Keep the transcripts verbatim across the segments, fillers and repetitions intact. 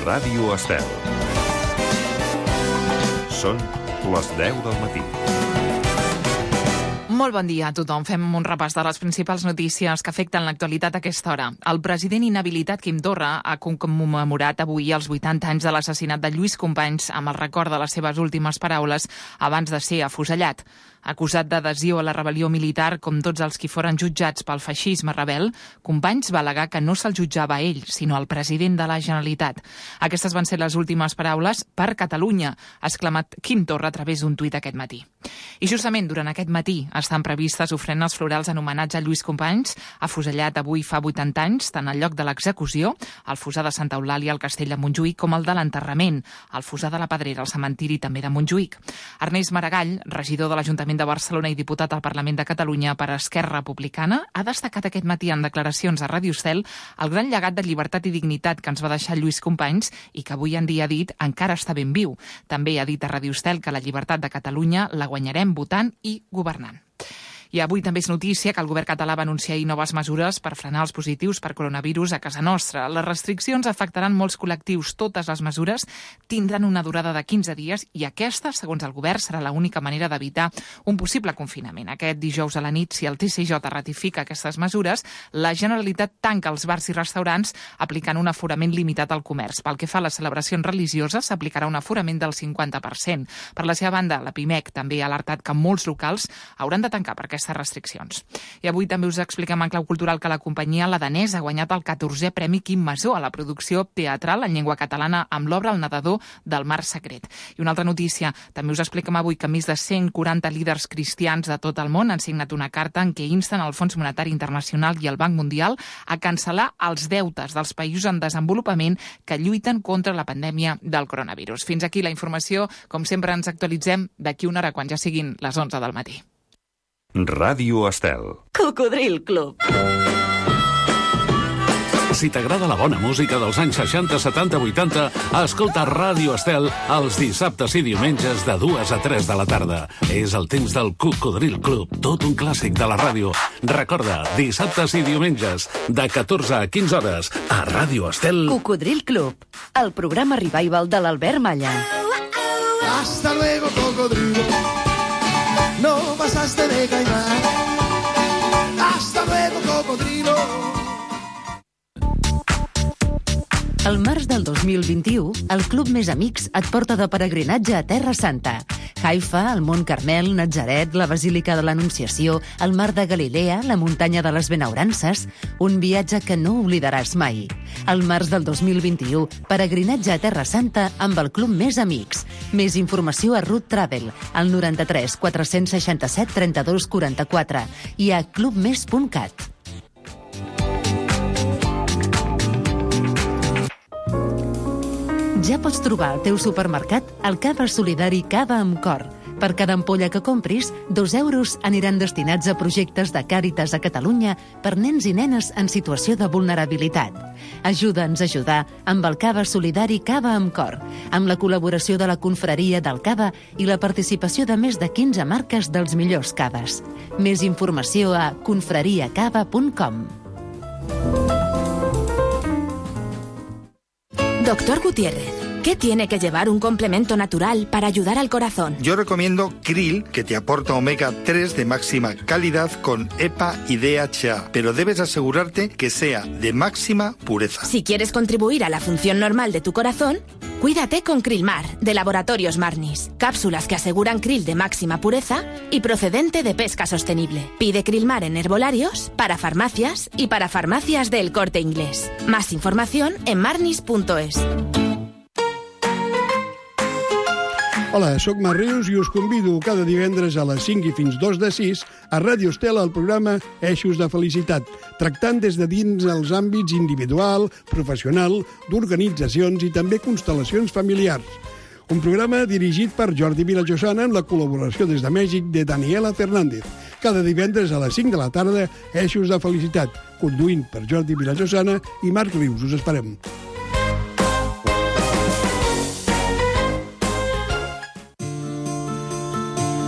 Ràdio Estel. Són les deu del matí. Molt bon dia a tothom. Fem un repàs de les principals notícies que afecten l'actualitat a aquesta hora. El president inhabilitat Quim Torra ha commemorat avui els vuitanta anys de l'assassinat de Lluís Companys amb el record de les seves últimes paraules abans de ser afusellat. Acusat d'adhesió a la rebel·lió militar, com tots els qui foren jutjats pel feixisme rebel, Companys va al·legar que no se'l jutjava a ell, sinó al president de la Generalitat. Aquestes van ser les últimes paraules per Catalunya, ha exclamat Quim Torra a través d'un tuit aquest matí. I justament durant aquest matí estan previstes ofrenes florals en homenatge a Lluís Companys, afusellat avui fa vuitanta anys, tant al lloc de l'execució, al fossar de Santa Eulàlia al castell de Montjuïc, com el de l'enterrament, al fossar de la Pedrera al cementiri també de Montjuïc. Ernest Maragall, regidor de l'Ajuntament de Barcelona i diputat al Parlament de Catalunya per Esquerra Republicana, ha destacat aquest matí en declaracions a Ràdio Estel el gran llegat de llibertat i dignitat que ens va deixar Lluís Companys i que avui en dia ha dit encara està ben viu. També ha dit a Ràdio Estel que la llibertat de Catalunya la guanyarem votant i governant. I avui també és notícia que el govern català va anunciar ahir noves mesures per frenar els positius per coronavirus a casa nostra. Les restriccions afectaran molts col·lectius. Totes les mesures tindran una durada de quinze dies i aquesta, segons el govern, serà l'única manera d'evitar un possible confinament. Aquest dijous a la nit, si el T C J ratifica aquestes mesures, la Generalitat tanca els bars i restaurants aplicant un aforament limitat al comerç. Pel que fa a les celebracions religioses, s'aplicarà un aforament del cinquanta per cent. Per la seva banda, la Pimec també ha alertat que molts locals hauran de tancar per aquestes restriccions. I avui també us expliquem en clau cultural que la companyia La Danesa ha guanyat el catorzè Premi Quim Masó a la producció teatral en llengua catalana amb l'obra El nedador del mar secret. I una altra notícia, també us expliquem avui que més de cent quaranta líders cristians de tot el món han signat una carta en què insten el Fons Monetari Internacional i el Banc Mundial a cancel·lar els deutes dels països en desenvolupament que lluiten contra la pandèmia del coronavirus. Fins aquí la informació. Com sempre ens actualitzem d'aquí una hora quan ja siguin les onze del matí. Ràdio Estel. Cocodril Club. Si t'agrada la bona música dels anys seixanta, setanta, vuitanta, escolta Ràdio Estel els dissabtes i diumenges de dues a tres de la tarda. És el temps del Cocodril Club, tot un clàssic de la ràdio. Recorda, dissabtes i diumenges, de catorze a quinze hores, a Ràdio Estel. Cocodril Club, el programa revival de l'Albert Malla. Hasta luego, cocodrilo. No pasaste de caimán. Hasta luego, cocodrilo. Al març del dos mil vint-i-u, el Club Més Amics et porta de peregrinatge a Terra Santa. Haifa, el Mont Carmel, Natzaret, la Basílica de l'Anunciació, el Mar de Galilea, la Muntanya de les Benaurances... Un viatge que no oblidaràs mai. Al març del dos mil vint-i-u, peregrinatge a Terra Santa amb el Club Més Amics. Més informació a Root Travel, al noranta-tres quatre-cents seixanta-set trenta-dos quaranta-quatre i a clubmes punt cat. Ja pots trobar al teu supermercat el Cava Solidari Cava amb Cor. Per cada ampolla que compris, dos euros aniran destinats a projectes de Càritas a Catalunya per nens i nenes en situació de vulnerabilitat. Ajuda'ns a ajudar amb el Cava Solidari Cava amb Cor, amb la col·laboració de la Confraria del Cava i la participació de més de quinze marques dels millors caves. Més informació a confrariacava punt com. Doctor Gutiérrez, ¿qué tiene que llevar un complemento natural para ayudar al corazón? Yo recomiendo Krill, que te aporta omega tres de máxima calidad con E P A y D H A, pero debes asegurarte que sea de máxima pureza. Si quieres contribuir a la función normal de tu corazón, cuídate con Krillmar, de Laboratorios Marnis. Cápsulas que aseguran krill de máxima pureza y procedente de pesca sostenible. Pide Krillmar en herbolarios, para farmacias y para farmacias del Corte Inglés. Más información en marnis punto es. Hola, sóc Mar Rius i us convido cada divendres a les cinc i fins dos de sis a Ràdio Estel al programa Eixos de Felicitat, tractant des de dins els àmbits individual, professional, d'organitzacions i també constel·lacions familiars. Un programa dirigit per Jordi Vilajosana amb la col·laboració des de Mèxic de Daniela Fernández. Cada divendres a les cinc de la tarda, Eixos de Felicitat, conduint per Jordi Vilajosana i Marc Rius. Us esperem.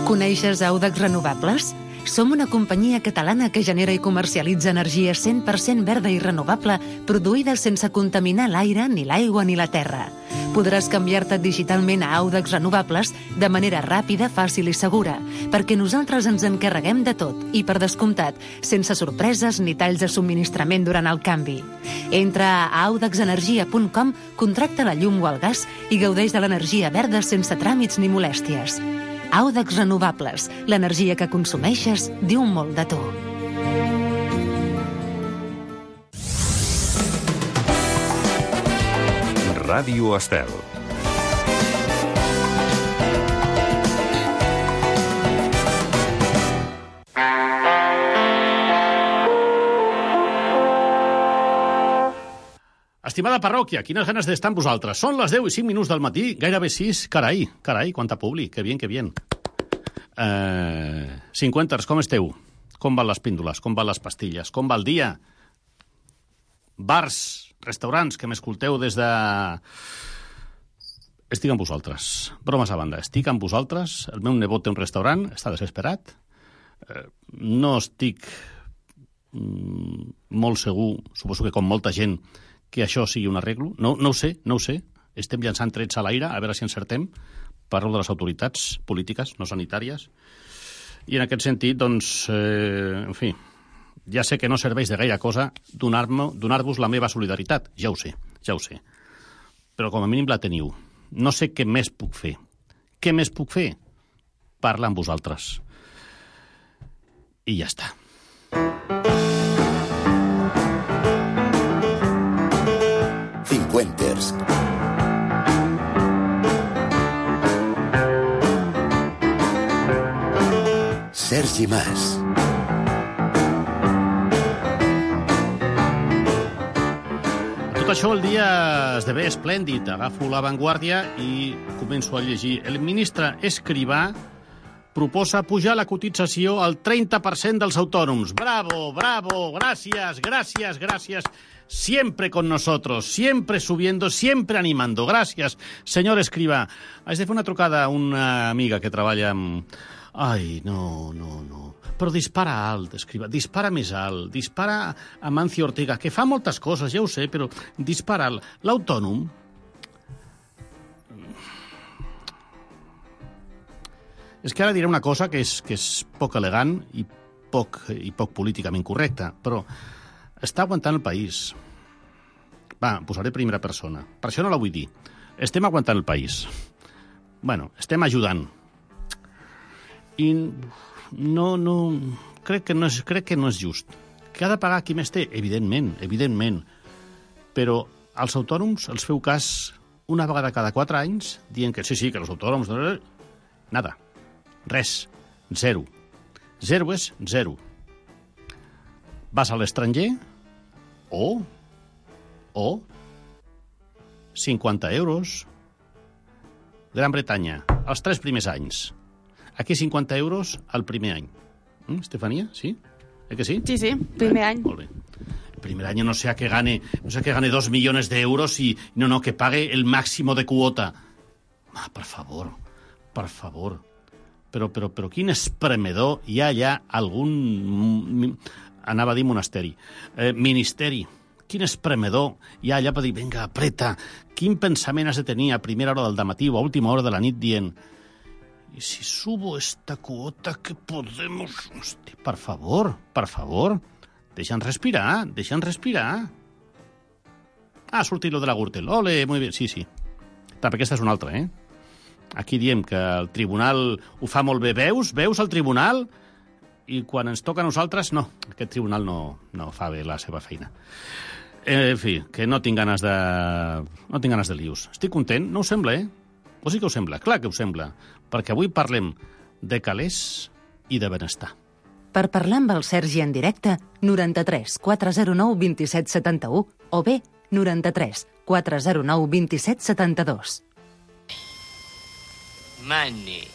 Coneixes Audax Renovables? Som una companyia catalana que genera i comercialitza energia cent per cent verda i renovable, produïda sense contaminar l'aire, ni l'aigua ni la terra. Podràs canviar-te digitalment a Audax Renovables de manera ràpida, fàcil i segura, perquè nosaltres ens encarreguem de tot i, per descomptat, sense sorpreses ni talls de subministrament durant el canvi. Entra a audax energia punt com, contracta la llum o el gas i gaudeix de l'energia verda sense tràmits ni molèsties. Audax Renovables, l'energia que consumeixes diu molt de tu. Ràdio Estel. Estimada parròquia, quines ganes d'estar amb vosaltres. Són les deu i cinc minuts del matí, gairebé sis. Carai, carai, quanta publi, que bien, que bien. Uh, cinquanters, com esteu? Com van les píndoles? Com van les pastilles? Com va el dia? Bars, restaurants que m'escolteu des de... Estic amb vosaltres. Bromes a banda, estic amb vosaltres. El meu nebot té un restaurant, està desesperat. Uh, no estic mm, molt segur, suposo que com molta gent, que això sigui un arreglo. No, no ho sé, no ho sé. Estem llançant trets a l'aire, a veure si encertem. Parlo de les autoritats polítiques, no sanitàries. I en aquest sentit, doncs, eh, en fi, ja sé que no serveix de gaire cosa donar-me, donar-vos la meva solidaritat. Ja ho sé, ja ho sé. Però com a mínim la teniu. No sé què més puc fer. Què més puc fer? Parlar amb vosaltres. I ja està. Cincuenters. Sergi Mas. Tot això el dia esdevé esplèndid. Agafo La Vanguardia i començo a llegir. El ministre Escrivà proposa pujar la cotització al treinta per cent dels autònoms. Bravo, bravo, gràcies, gràcies, gràcies. Siempre con nosotros, siempre subiendo, siempre animando. Gràcies, senyor Escrivà. Haig de fer una trucada a una amiga que treballa amb... Ai, no, no, no. Però dispara alt, Escrivà. Dispara més alt. Dispara a Mancio Ortega, que fa moltes coses, ja ho sé, però dispara alt. L'autònom... És que ara diré una cosa que és, que és poc elegant i poc, i poc políticament correcta, però està aguantant el país. Va, posaré primera persona. Per això no la vull dir. Estem aguantant el país. Bueno, estem ajudant. I no, no... Crec que no és, crec que no és just. Que ha de pagar qui més té? Evidentment, evidentment. Però als autònoms els feu cas una vegada cada quatre anys dient que sí, sí, que els autònoms... Nada. Res. Zero. Zero és zero. Vas a l'estranger o... o... cinquanta euros. Gran Bretanya, els tres primers anys. Aquí cinquanta euros al primer any. ¿Mm, Estefania? ¿Sí? ¿Eh que sí? Sí, sí, primer eh, any. Molt bé. El primer año no sea que gane, no sea que gane dos millones de euros y no, no, que pague el máximo de cuota. Ah, per favor, per favor. Però, però, però quin espremedor hi ha allà algun... Anava a dir monasteri. Eh, ministeri. Quin espremedor hi ha allà per dir, vinga, apreta. Quin pensament has de tenir a primera hora del dematí o a última hora de la nit dient i si subo esta cuota que podemos... Hosti, per favor, per favor. Deixa'ns respirar, deixa'ns respirar. Ah, ha sortit lo de la Gürtel. Ole, muy bien, sí, sí. També aquesta és una altra, eh? Aquí diem que el tribunal ho fa molt bé. Veus? Veus el tribunal? I quan ens toca a nosaltres, no. Aquest tribunal no, no fa bé la seva feina. Eh, en fi, que no tinc ganes de... No tinc ganes de lius. Estic content? No us sembla, eh? O sí que us sembla? Clar que us sembla. Perquè avui parlem de calés i de benestar. Per parlar amb el Sergi en directe, noranta-tres quatre zero nou vint set setanta-u o bé noranta-tres quatre zero nou vint set setanta-dos. Money.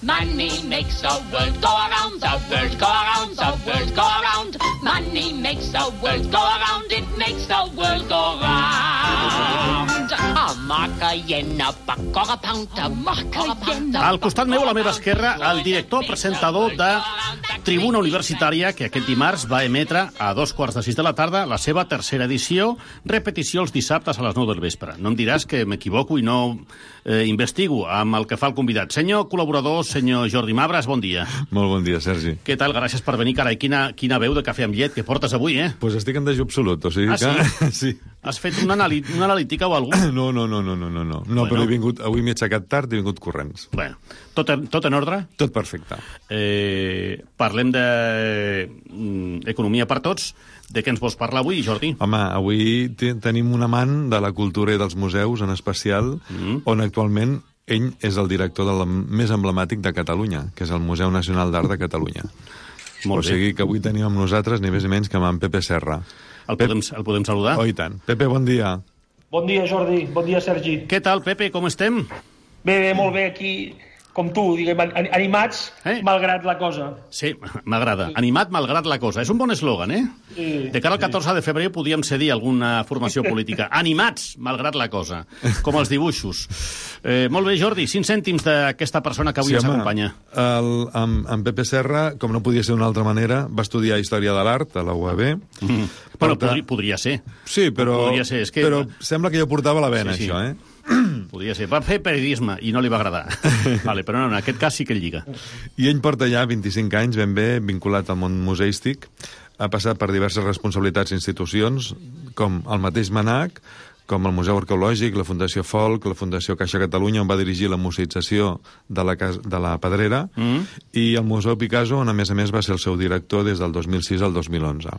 Money makes the world go around, the world go around, the world go around. Money makes the world go around, it makes the world go round. A Macarena, pacoga pounta, macoga pounta. Al costat meu, a la meva esquerra, el director presentador de Tribuna Universitària, que aquest dimarts va emetre a dos quarts de sis de la tarda la seva tercera edició, repetició els dissabtes a les nou del vespre. No em diràs que m'equivoco i no eh, investigo amb el que fa el convidat. Senyor col·laborador, senyor Jordi Mabras, bon dia. Molt bon dia, Sergi. Què tal? Gràcies per venir, carai. Quina, quina veu de cafè amb llet que portes avui, eh? Doncs pues estic en dejú absolut, o sigui ah, que... sí? sí. Has fet una, anali una analítica o alguna cosa? No, no, no, no, no, no. No, bueno. Però he vingut, avui m'he aixecat tard i he vingut corrents. Bueno, tot en, tot en ordre? Tot perfecte. Eh, parlem d'economia per tots. De què ens vols parlar avui, Jordi? Home, avui tenim un amant de la cultura i dels museus, en especial, mm. on actualment ell és el director del més emblemàtic de Catalunya, que és el Museu Nacional d'Art de Catalunya. Molt o sigui que avui tenim amb nosaltres ni més ni menys que amb en Pepe Serra. El, Pep... podem, el podem saludar? Oh, i tant. Pepe, bon dia. Bon dia, Jordi. Bon dia, Sergi. Què tal, Pepe? Com estem? Bé, bé, molt bé, aquí, com tu, diguem, animats, eh? malgrat la cosa. Sí, m'agrada. Sí. Animat malgrat la cosa. És un bon eslògan, eh? Sí, de cara al catorze sí. de febrer podíem cedir alguna formació política. Animats malgrat la cosa, com els dibuixos. Eh, molt bé, Jordi, cinc cèntims d'aquesta persona que avui sí, ens home, acompanya. El, amb, amb Pepe Serra, com no podia ser d'una altra manera, va estudiar Història de l'Art a la U A B. Mm. Però podria, podria ser. Sí, però, podria ser. És que... però sembla que jo portava la vena, sí, sí. això, eh? Podria ser. Va fer periodisme i no li va agradar. Vale, però no, en aquest cas sí que el lliga. I ell porta ja vint-i-cinc anys ben bé vinculat al món museístic. Ha passat per diverses responsabilitats i institucions, com el mateix MANAC, com el Museu Arqueològic, la Fundació Folk, la Fundació Caixa Catalunya, on va dirigir la museïtzació de la, casa, de la Pedrera, mm. i el Museu Picasso, on a més a més va ser el seu director des del dos mil sis al dos mil onze.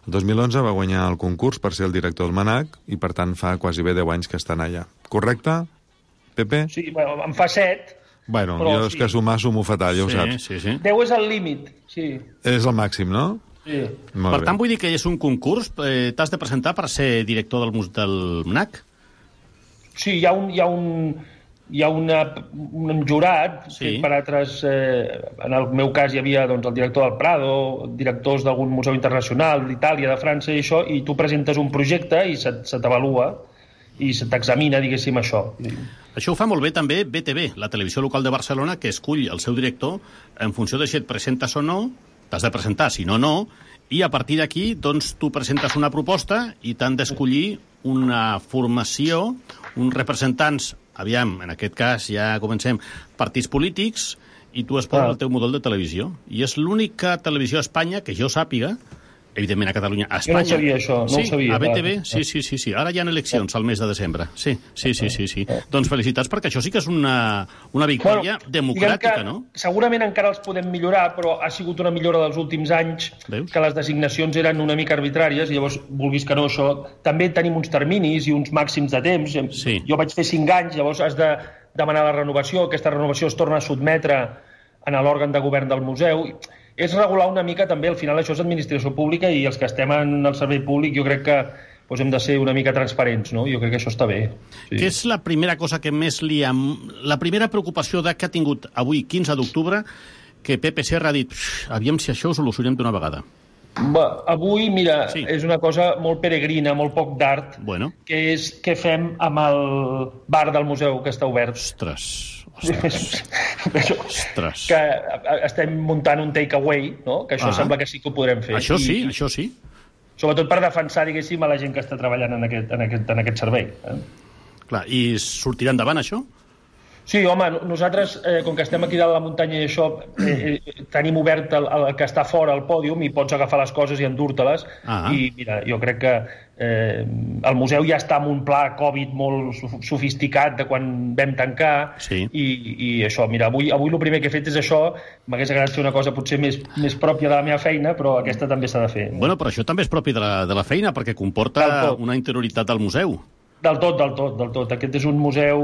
El dos mil onze va guanyar el concurs per ser el director del MANAC i, per tant, fa quasi bé deu anys que estan allà. Correcte, Pepe? Sí, bueno, em fa set. Bueno, jo és sí. que sumar sumo fatal, ja ho sí, saps. Sí, sí. deu és el límit, sí. És el màxim, no? Sí. Molt per bé. Tant, vull dir que és un concurs. Eh, T'has de presentar per ser director del, del MANAC? Sí, hi ha un... Hi ha un... Hi ha una, un jurat, sí. per altres, eh, en el meu cas hi havia doncs, el director del Prado, directors d'algun museu internacional, d'Itàlia, de França i això, i tu presentes un projecte i se, se t'avalua i se t'examina, diguéssim, això. Això ho fa molt bé també B T V, la televisió local de Barcelona, que escull el seu director en funció de si et presentes o no, t'has de presentar, si no, no, i a partir d'aquí doncs, tu presentes una proposta i t'han d'escollir una formació, uns representants. Aviam, en aquest cas ja comencem, partits polítics, i tu es posa ah. el teu model de televisió. I és l'única televisió a Espanya que jo sàpiga, evidentment a Catalunya, a Espanya. Jo no sabia això, no sí, ho sabia. A B T V, sí, sí, sí, sí. Ara hi ha eleccions al mes de desembre. Sí, sí, sí, sí, sí. Doncs felicitats, perquè això sí que és una, una victòria bueno, democràtica, no? Segurament encara els podem millorar, però ha sigut una millora dels últims anys, Veus? Que les designacions eren una mica arbitràries, i llavors, vulguis que no, això... També tenim uns terminis i uns màxims de temps. Sí. Jo vaig fer cinc anys, llavors has de demanar la renovació, aquesta renovació es torna a sotmetre a l'òrgan de govern del museu. És regular una mica també, al final això és administració pública i els que estem en el servei públic jo crec que doncs, hem de ser una mica transparents, no? Jo crec que això està bé. Sí. Què és la primera cosa que més li ha... La primera preocupació de que ha tingut avui, quinze d'octubre, que Pepe Serra ha dit aviam si això ho solucionem d'una vegada? Bé, avui, mira, sí. és una cosa molt peregrina, molt poc d'art, bueno. que és què fem amb el bar del museu que està obert. Ostres... Ostres. Que estem muntant un takeaway, no? Que això ah. sembla que sí que ho podrem fer. Això sí, I, això sí. Sobretot per defensar, diguéssim, a la gent que està treballant en aquest, en aquest, en aquest servei. Eh? Clar, i sortirà endavant això? Sí, home, nosaltres, eh, com que estem aquí dalt la muntanya i això, eh, eh, tenim obert el, el que està fora al pòdium i pots agafar les coses i endur-te-les. Ah. I, mira, jo crec que eh, el museu ja està amb un pla Covid molt sofisticat de quan vam tancar. Sí. I, i això, mira, avui, avui el primer que he fet és això. M'hagués agradat fer una cosa potser més, més pròpia de la meva feina, però aquesta també s'ha de fer. Bueno, però això també és propi de la, de la feina, perquè comporta una interioritat del museu. Del tot, del tot, del tot. Aquest és un museu...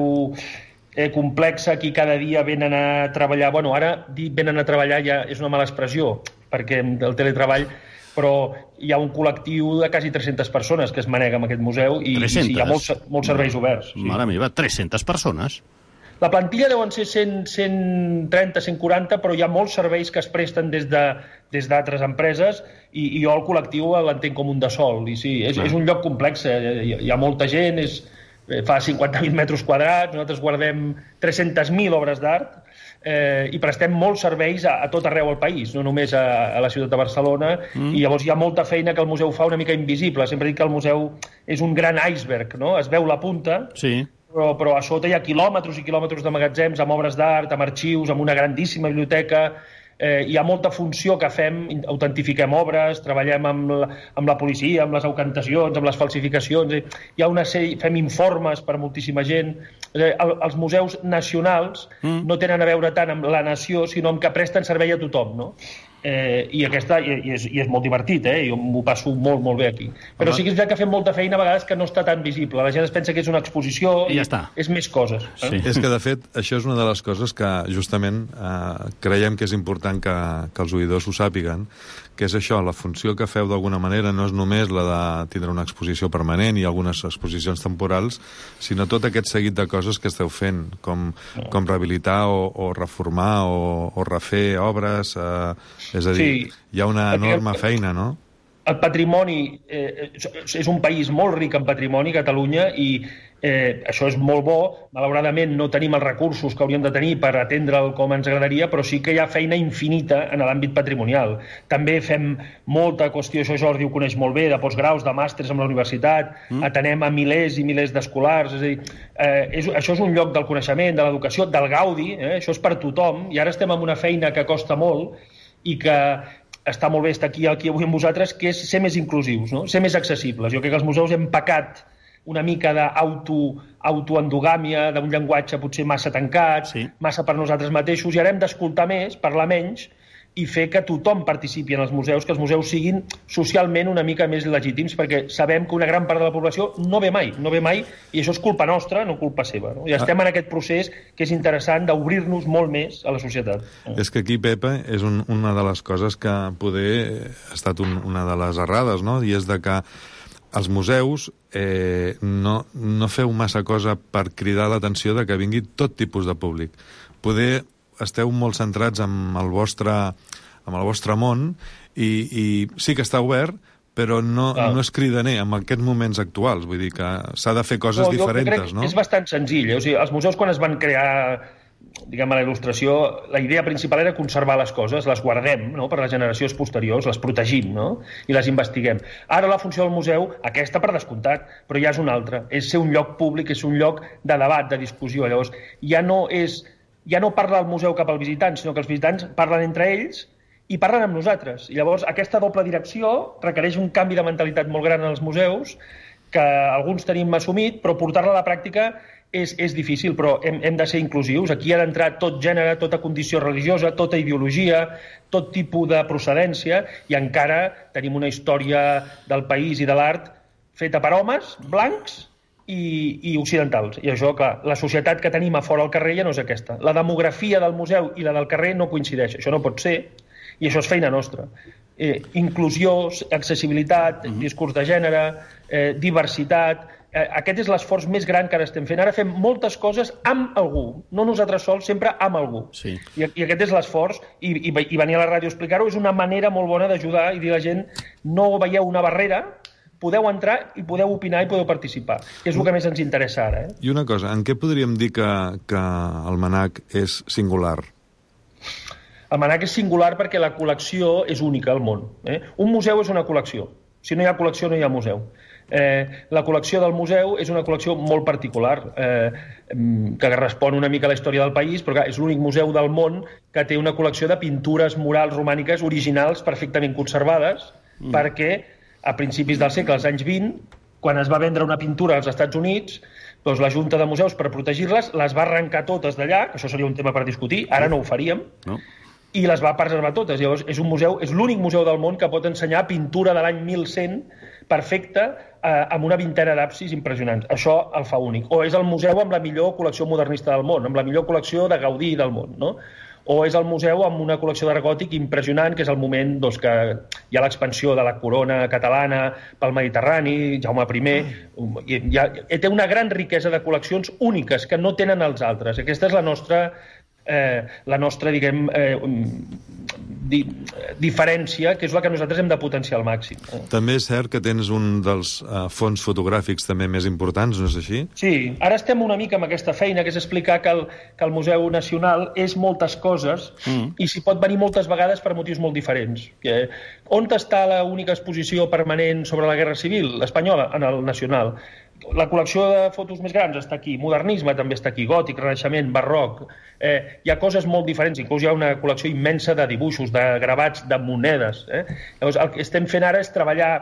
Eh, complexa, aquí cada dia venen a treballar, bueno, ara dir venen a treballar ja és una mala expressió, perquè el teletreball, però hi ha un col·lectiu de quasi tres-centes persones que es manega en aquest museu i, i sí, hi ha molts, molts serveis oberts. Sí. Mare meva, tres-centes persones? La plantilla deuen ser cent, cent trenta, cent quaranta, però hi ha molts serveis que es presten des de, des d'altres empreses i, i jo el col·lectiu l'entenc com un de sol. I sí, és, és un lloc complex, hi, hi ha molta gent, és... fa cinquanta mil metres quadrats, nosaltres guardem tres-centes mil obres d'art, eh, i prestem molts serveis a, a tot arreu al país, no només a, a la ciutat de Barcelona, mm. i llavors hi ha molta feina que el museu fa una mica invisible. Sempre dic que el museu és un gran iceberg, no? Es veu la punta, sí. però, però a sota hi ha quilòmetres i quilòmetres de magatzems amb obres d'art, amb arxius, amb una grandíssima biblioteca. Eh, hi ha molta funció que fem, autentifiquem obres, treballem amb la, amb la policia, amb les aucantacions, amb les falsificacions, eh, hi ha una sèrie, fem informes per a moltíssima gent. Eh, el, els museus nacionals mm. no tenen a veure tant amb la nació, sinó amb que presten servei a tothom, no? Eh, i, aquesta, i, i, és, i és molt divertit, eh? Jo m'ho passo molt, molt bé aquí. Però Home. sí que és veritat que fem molta feina a vegades que no està tan visible. La gent es pensa que és una exposició i, I ja està. És més coses. Eh? Sí. És que, de fet, això és una de les coses que justament eh, creiem que és important que, que els oïdors ho sàpiguen, que és això, la funció que feu d'alguna manera no és només la de tindre una exposició permanent i algunes exposicions temporals, sinó tot aquest seguit de coses que esteu fent, com, no. com rehabilitar o, o reformar o, o refer obres, eh, és a dir, sí. hi ha una enorme feina, no? El patrimoni, eh, és un país molt ric en patrimoni, Catalunya, i eh, això és molt bo. Malauradament no tenim els recursos que hauríem de tenir per atendre'l com ens agradaria, però sí que hi ha feina infinita en l'àmbit patrimonial. També fem molta qüestió, això Jordi ho coneix molt bé, de postgraus, de màsters amb la universitat, mm. atenem a milers i milers d'escolars, és a dir, eh, és, això és un lloc del coneixement, de l'educació, del gaudi, eh, això és per tothom, i ara estem en una feina que costa molt i que està molt bé estar aquí, aquí avui amb vosaltres, que és ser més inclusius, no? Ser més accessibles. Jo crec que els museus hem pecat una mica d'autoendogàmia, d'un llenguatge potser massa tancat, sí. massa per nosaltres mateixos, i ara hem d'escoltar més, parlar menys, i fer que tothom participi en els museus, que els museus siguin socialment una mica més legítims, perquè sabem que una gran part de la població no ve mai, no ve mai, i això és culpa nostra, no culpa seva. No? I estem en aquest procés que és interessant d'obrir-nos molt més a la societat. És que aquí, Pepa, és un, una de les coses que poder ha estat un, una de les errades, no? I és de que els museus eh, no, no feu massa cosa per cridar l'atenció de que vingui tot tipus de públic. Poder esteu molt centrats en el vostre, en el vostre món i, i sí que està obert, però no, ah. no és cridaner en aquests moments actuals. Vull dir que s'ha de fer coses no, diferents, no? És bastant senzill. Eh? O sigui, els museus, quan es van crear, diguem, a la il·lustració, la idea principal era conservar les coses, les guardem, no?, per a les generacions posteriors, les protegim, no?, i les investiguem. Ara la funció del museu, aquesta per descomptat, però ja és una altra. És ser un lloc públic, és un lloc de debat, de discussió. Llavors, ja no és... ja no parla el museu cap al visitant, sinó que els visitants parlen entre ells i parlen amb nosaltres. I llavors aquesta doble direcció requereix un canvi de mentalitat molt gran en els museus, que alguns tenim assumit, però portar-la a la pràctica és, és difícil, però hem, hem de ser inclusius. Aquí ha d'entrar tot gènere, tota condició religiosa, tota ideologia, tot tipus de procedència, i encara tenim una història del país i de l'art feta per homes blancs I, i occidentals. I això, clar, la societat que tenim a fora al carrer ja no és aquesta. La demografia del museu i la del carrer no coincideix. Això no pot ser, i això és feina nostra. Eh, inclusió, accessibilitat, mm-hmm. discurs de gènere, eh, diversitat... Eh, aquest és l'esforç més gran que ara estem fent. Ara fem moltes coses amb algú, no nosaltres sols, sempre amb algú. Sí. I, I aquest és l'esforç, i, i, i venir a la ràdio a explicar-ho és una manera molt bona d'ajudar i dir a la gent, no veieu una barrera, podeu entrar i podeu opinar i podeu participar, que és el que més ens interessa ara. Eh? I una cosa, en què podríem dir que, que el MNAC és singular? El MNAC és singular perquè la col·lecció és única al món. Eh? Un museu és una col·lecció. Si no hi ha col·lecció, no hi ha museu. Eh, la col·lecció del museu és una col·lecció molt particular, eh, que respon una mica a la història del país, però clar, és l'únic museu del món que té una col·lecció de pintures murals romàniques originals perfectament conservades, mm. perquè a principis del segle, als anys vint, quan es va vendre una pintura als Estats Units, doncs la Junta de Museus, per protegir-les, les va arrencar totes d'allà, que això seria un tema per discutir, ara no ho faríem, no. i les va preservar totes. Llavors, és un museu, és l'únic museu del món que pot ensenyar pintura de l'any mil cent perfecta, eh, amb una vintena d'absis impressionants. Això el fa únic. O és el museu amb la millor col·lecció modernista del món, amb la millor col·lecció de Gaudí del món, no? O és el museu amb una col·lecció d'art gòtic impressionant, que és el moment doncs, que hi ha l'expansió de la corona catalana pel Mediterrani, Jaume primer, i hi ha, té una gran riquesa de col·leccions úniques que no tenen els altres. Aquesta és la nostra, eh, la nostra diguem, eh, di, diferència, que és la que nosaltres hem de potenciar al màxim. Eh? També és cert que tens un dels uh, fons fotogràfics també més importants, no és així? Sí, ara estem una mica amb aquesta feina, que és explicar que el, que el Museu Nacional és moltes coses mm. i s'hi pot venir moltes vegades per motius molt diferents. Que, on està l'única exposició permanent sobre la Guerra Civil? L'espanyola, en el Nacional. La col·lecció de fotos més grans està aquí, modernisme també està aquí, gòtic, renaixement, barroc. Eh, hi ha coses molt diferents, inclús hi ha una col·lecció immensa de dibuixos, de gravats, de monedes. Eh? Llavors, el que estem fent ara és treballar,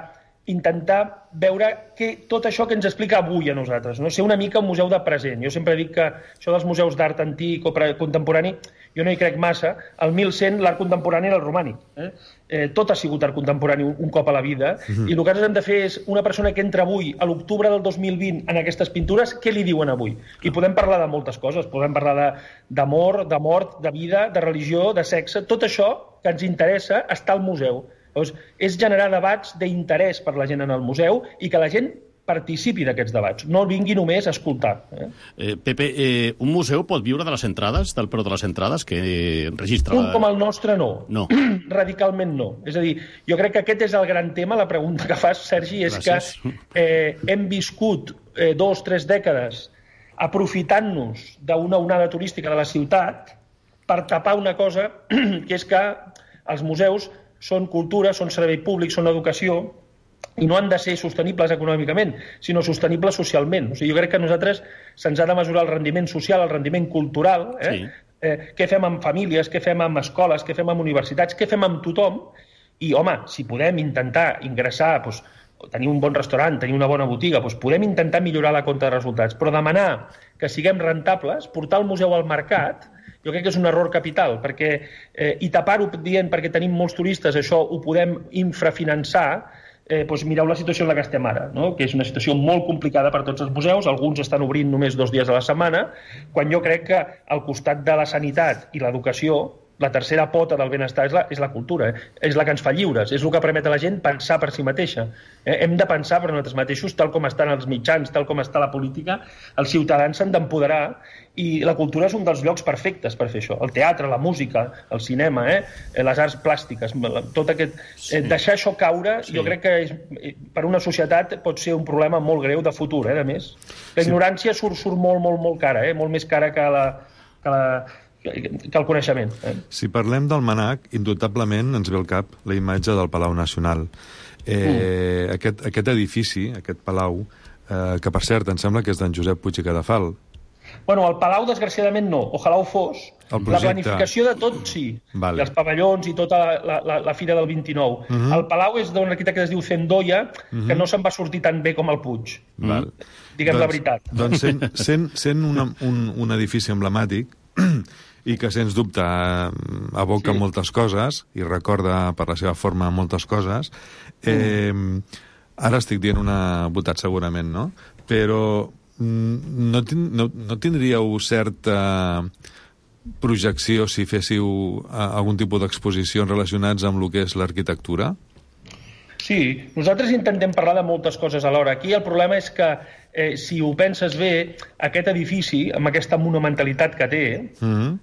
intentar veure que, tot això que ens explica avui a nosaltres, no? Ser una mica un museu de present. Jo sempre dic que això dels museus d'art antic o contemporani, jo no hi crec massa. Al mil cent l'art contemporani era el romànic. Eh? Eh, tot ha sigut art contemporani un, un cop a la vida, mm-hmm. i el que nosaltres hem de fer és una persona que entra avui, a l'octubre del dos mil vint, en aquestes pintures, què li diuen avui? I podem parlar de moltes coses, podem parlar d'amor, de, de mort, de vida, de religió, de sexe, tot això que ens interessa està al museu. Llavors, és generar debats d'interès per la gent en el museu i que la gent participi d'aquests debats, no vingui només a escoltar. Eh? Eh, Pepe, eh, un museu pot viure de les entrades, del preu de les entrades que eh, registra... Un com el nostre, no. No. Radicalment no. És a dir, jo crec que aquest és el gran tema, la pregunta que fas, Sergi, és Gràcies. que eh, hem viscut eh, dos, tres dècades aprofitant-nos d'una onada turística de la ciutat per tapar una cosa, que és que els museus són cultura, són servei públic, són educació, i no han de ser sostenibles econòmicament, sinó sostenibles socialment. O sigui, jo crec que a nosaltres se'ns ha de mesurar el rendiment social, el rendiment cultural, eh? Sí. Eh, què fem amb famílies, què fem amb escoles, què fem amb universitats, què fem amb tothom, i, home, si podem intentar ingressar, doncs, tenir un bon restaurant, tenir una bona botiga, doncs podem intentar millorar la compta de resultats, però demanar que siguem rentables, portar el museu al mercat, jo crec que és un error capital, perquè, eh, i tapar-ho dient perquè tenim molts turistes, això ho podem infrafinançar, eh, doncs mireu la situació en la que estem ara, no? Que és una situació molt complicada per tots els museus, alguns estan obrint només dos dies a la setmana, quan jo crec que al costat de la sanitat i l'educació, la tercera pota del benestar és la, és la cultura, eh? És la que ens fa lliures, és el que permet a la gent pensar per si mateixa. Eh? Hem de pensar per nosaltres mateixos, tal com estan els mitjans, tal com està la política, els ciutadans s'han d'empoderar, i la cultura és un dels llocs perfectes per fer això. El teatre, la música, el cinema, eh? les arts plàstiques, tot aquest... Eh, deixar això caure, sí. Jo crec que és, per una societat pot ser un problema molt greu de futur, eh? A més. La ignorància surt, surt molt, molt, molt cara, eh? Molt més cara que la... Que la que el coneixement. Eh? Si parlem del Mnac, indubtablement ens ve al cap la imatge del Palau Nacional. Eh, mm. aquest, aquest edifici, aquest palau, eh, que per cert em sembla que és d'en Josep Puig i Cadafal. Bueno, el palau, desgraciadament, no. Ojalà ho fos. La planificació de tot, sí. Vale. I els pavellons i tota la, la, la fira del vint-i-nou. Uh -huh. El palau és d'un arquitecte que es diu Zendoya, uh -huh. que no se'n va sortir tan bé com el Puig. Val. Diguem doncs, la veritat. Doncs sent, sent, sent una, un, un edifici emblemàtic, i que, sens dubte, evoca sí. moltes coses i recorda, per la seva forma, moltes coses. Eh, ara estic dient una botat, segurament, no? Però no, no, no tindríeu certa projecció si féssiu algun tipus d'exposicions relacionats amb el que és l'arquitectura? Sí, nosaltres intentem parlar de moltes coses alhora. Aquí el problema és que, eh, si ho penses bé, aquest edifici, amb aquesta monumentalitat que té, mm-hmm.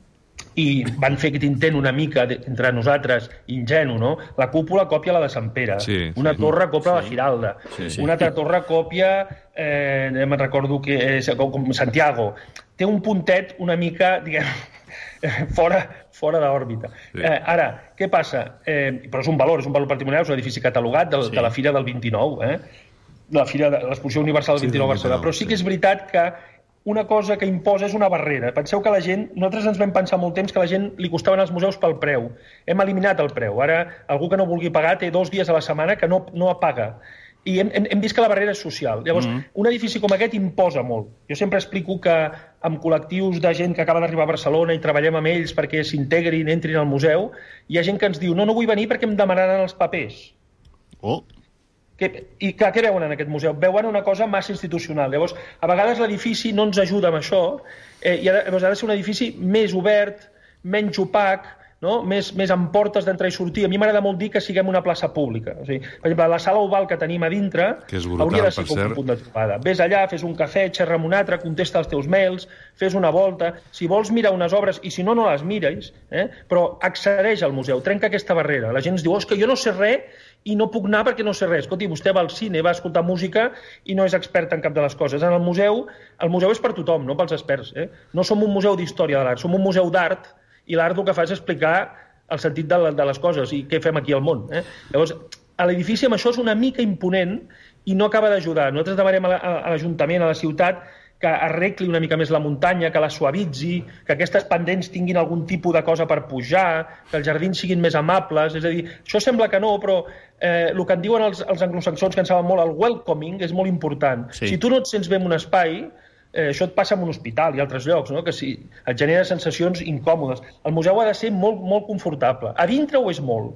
i van fer aquest intent una mica de, entre nosaltres, ingenu, no? La cúpula còpia la de Sant Pere, sí, una sí. torre còpia sí. la Giralda, sí, sí. una altra torre còpia, eh, me'n recordo que és com Santiago. Té un puntet una mica, diguem, fora, fora d'òrbita. Sí. Eh, ara, què passa? Eh, però és un valor, és un valor patrimonial, és un edifici catalogat de, sí. de la Fira del vint-i-nou, eh? de la Fira de l'Exposició Universal del vint-i-nou a Barcelona. Però sí que és veritat que una cosa que imposa és una barrera. Penseu que la gent, nosaltres ens vam pensar molt temps que a la gent li costaven els museus pel preu. Hem eliminat el preu. Ara, algú que no vulgui pagar té dos dies a la setmana que no, no paga. I hem, hem, hem vist que la barrera és social. Llavors, mm-hmm. un edifici com aquest imposa molt. Jo sempre explico que amb col·lectius de gent que acaba d'arribar a Barcelona i treballem amb ells perquè s'integrin, entrin al museu, hi ha gent que ens diu, no, no vull venir perquè em demanaran els papers. Oh! Que, I que, què veuen en aquest museu? Veuen una cosa massa institucional. Llavors, a vegades l'edifici no ens ajuda amb això, eh, i ha de, llavors ha de ser un edifici més obert, menys opac, no? més, més amb portes d'entrar i sortir. A mi m'agrada molt dir que siguem una plaça pública. O sigui, per exemple, la sala oval que tenim a dintre brutal, hauria de ser com un punt de trobada. Ves allà, fes un cafè, xerra amb un altre, contesta els teus mails, fes una volta. Si vols mirar unes obres, i si no, no les mires, eh? però accedeix al museu, trenca aquesta barrera. La gent ens diu, oh, és que jo no sé res i no puc anar perquè no sé res. Escolti, vostè va al cine, va a escoltar música i no és expert en cap de les coses. En el museu, el museu és per tothom, no pels experts. Eh? No som un museu d'història de l'art, som un museu d'art, i l'art el que fa és explicar el sentit de, de les coses i què fem aquí al món. Eh? Llavors, a l'edifici amb això és una mica imponent i no acaba d'ajudar. Nosaltres demanem a l'Ajuntament, a la ciutat, que arregli una mica més la muntanya, que la suavitzi, que aquestes pendents tinguin algun tipus de cosa per pujar, que els jardins siguin més amables. És a dir, això sembla que no, però eh, el que en diuen els, els anglosaxons, que en saben molt, el welcoming, és molt important. Sí. Si tu no et sents bé en un espai, Eh, això et passa en un hospital i altres llocs, no? Que sí, et genera sensacions incòmodes. El museu ha de ser molt, molt confortable. A dintre ho és molt.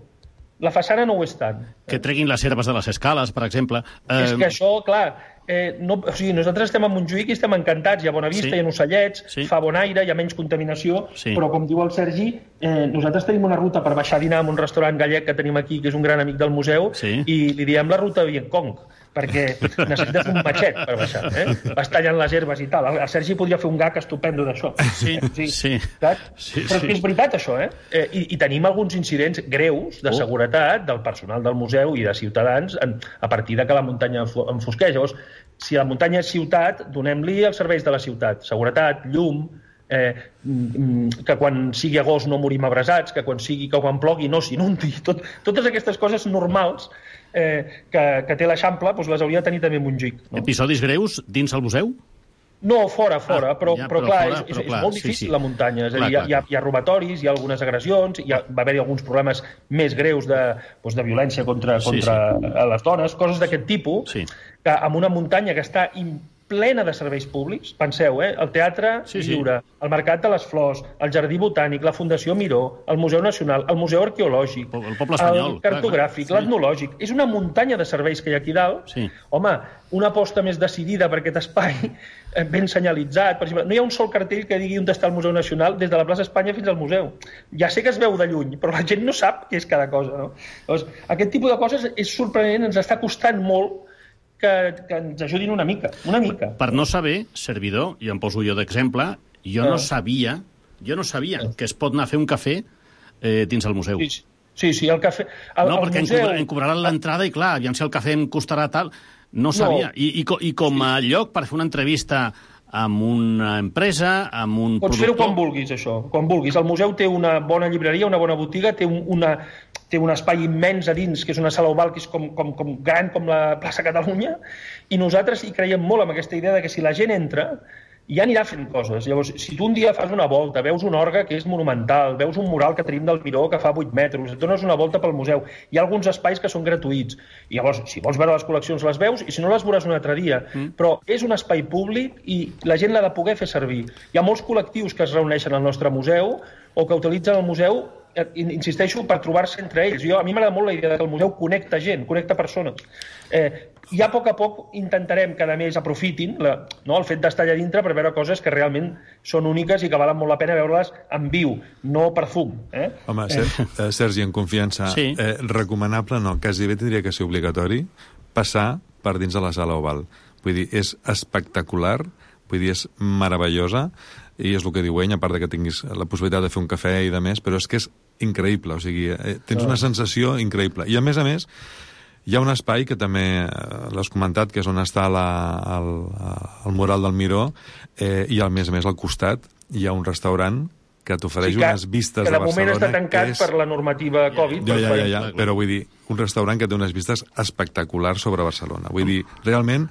La façana no ho és tant. Que treguin les herbes de les escales, per exemple. Eh... És que això, clar, eh, no, o sigui, nosaltres estem a Montjuïc i estem encantats. Hi ha bona vista, sí. Hi ha ocellets, sí. Fa bon aire, hi ha menys contaminació, sí. Però com diu el Sergi, eh, nosaltres tenim una ruta per baixar a dinar en un restaurant gallec que tenim aquí, que és un gran amic del museu, sí. I li diem la ruta Vietcong, perquè necessites un matxet per baixar, eh? Vas tallant les herbes i tal. El Sergi podria fer un gag estupendo d'això. Sí, sí. sí. sí Però és que és veritat, això, eh? eh i, I tenim alguns incidents greus de seguretat del personal del museu i de ciutadans en, a partir de que la muntanya enfosqueix. Llavors, si la muntanya és ciutat, donem-li els serveis de la ciutat. Seguretat, llum, eh, que quan sigui agost no morim abrasats, que quan sigui que quan plogui no s'inundi. Tot, totes aquestes coses normals eh, que, que té l'Eixample, doncs les hauria de tenir també Montjuïc. No? Episodis greus dins el museu? No, fora, fora, ah, però, ja, però, però clar, fora, és, però és, clar, és molt difícil sí, sí. La muntanya. És a clar, dir, hi, ha, hi ha robatoris, hi ha algunes agressions, hi ha, va haver-hi alguns problemes més greus de, doncs, de violència contra, contra sí, sí. les dones, coses d'aquest tipus, sí. Que amb una muntanya que està plena de serveis públics, penseu, eh? El Teatre sí, Lliure, sí. El Mercat de les Flors, el Jardí Botànic, la Fundació Miró, el Museu Nacional, el Museu Arqueològic, el Poble Espanyol, el Cartogràfic, clar, clar. L'Etnològic. És una muntanya de serveis que hi ha aquí dalt. Sí. Home, una aposta més decidida per aquest espai, ben senyalitzat. Per exemple, no hi ha un sol cartell que digui on està el Museu Nacional des de la plaça Espanya fins al museu. Ja sé que es veu de lluny, però la gent no sap què és cada cosa. No? Llavors, aquest tipus de coses és sorprenent, ens està costant molt que, que ens ajudin una mica, una mica. Per no saber, servidor, i em poso jo d'exemple, jo no sabia, jo no sabia que es pot anar a fer un cafè eh, dins el museu. Sí, sí, sí el cafè... El, no, el perquè museu... em cobraran l'entrada i, clar, aviam si el cafè em costarà tal... No sabia. No. I, i, I com a lloc per fer una entrevista amb una empresa, amb un Pots productor... fer-ho quan vulguis, això, quan vulguis. El museu té una bona llibreria, una bona botiga, té un, una... té un espai immens a dins, que és una sala oval que és com, com, com gran com la plaça Catalunya, i nosaltres hi creiem molt amb aquesta idea de que si la gent entra, ja anirà fent coses. Llavors, si tu un dia fas una volta, veus un orgue que és monumental, veus un mural que tenim del Miró que fa vuit metres, et dones una volta pel museu, hi ha alguns espais que són gratuïts. I llavors, si vols veure les col·leccions, les veus, i si no les veuràs un altre dia. Mm. Però és un espai públic i la gent l'ha de poder fer servir. Hi ha molts col·lectius que es reuneixen al nostre museu o que utilitzen el museu, insisteixo, per trobar-se entre ells. Jo, a mi m'agrada molt la idea que el museu connecta gent, connecta persones. Eh, ja a poc a poc intentarem que a més aprofitin la, no, el fet d'estar allà dintre per veure coses que realment són úniques i que valen molt la pena veure-les en viu, no per fum. Eh? Home, eh. Sergi, en confiança, sí. eh, recomanable no, quasi bé tindria que ser obligatori passar per dins de la sala oval. Vull dir, és espectacular, vull dir, és meravellosa, i és el que diu ell, a part de que tinguis la possibilitat de fer un cafè i de més, però és que és increïble, o sigui, eh, tens una sensació increïble. I a més a més, hi ha un espai que també l'has comentat, que és on està la, el, el mural del Miró, eh, i a més a més al costat hi ha un restaurant que t'ofereix sí, unes vistes de Barcelona... Que de moment està tancat és... per la normativa Covid. Ja, ja, ja, ja, però vull dir, un restaurant que té unes vistes espectaculars sobre Barcelona. Vull dir, realment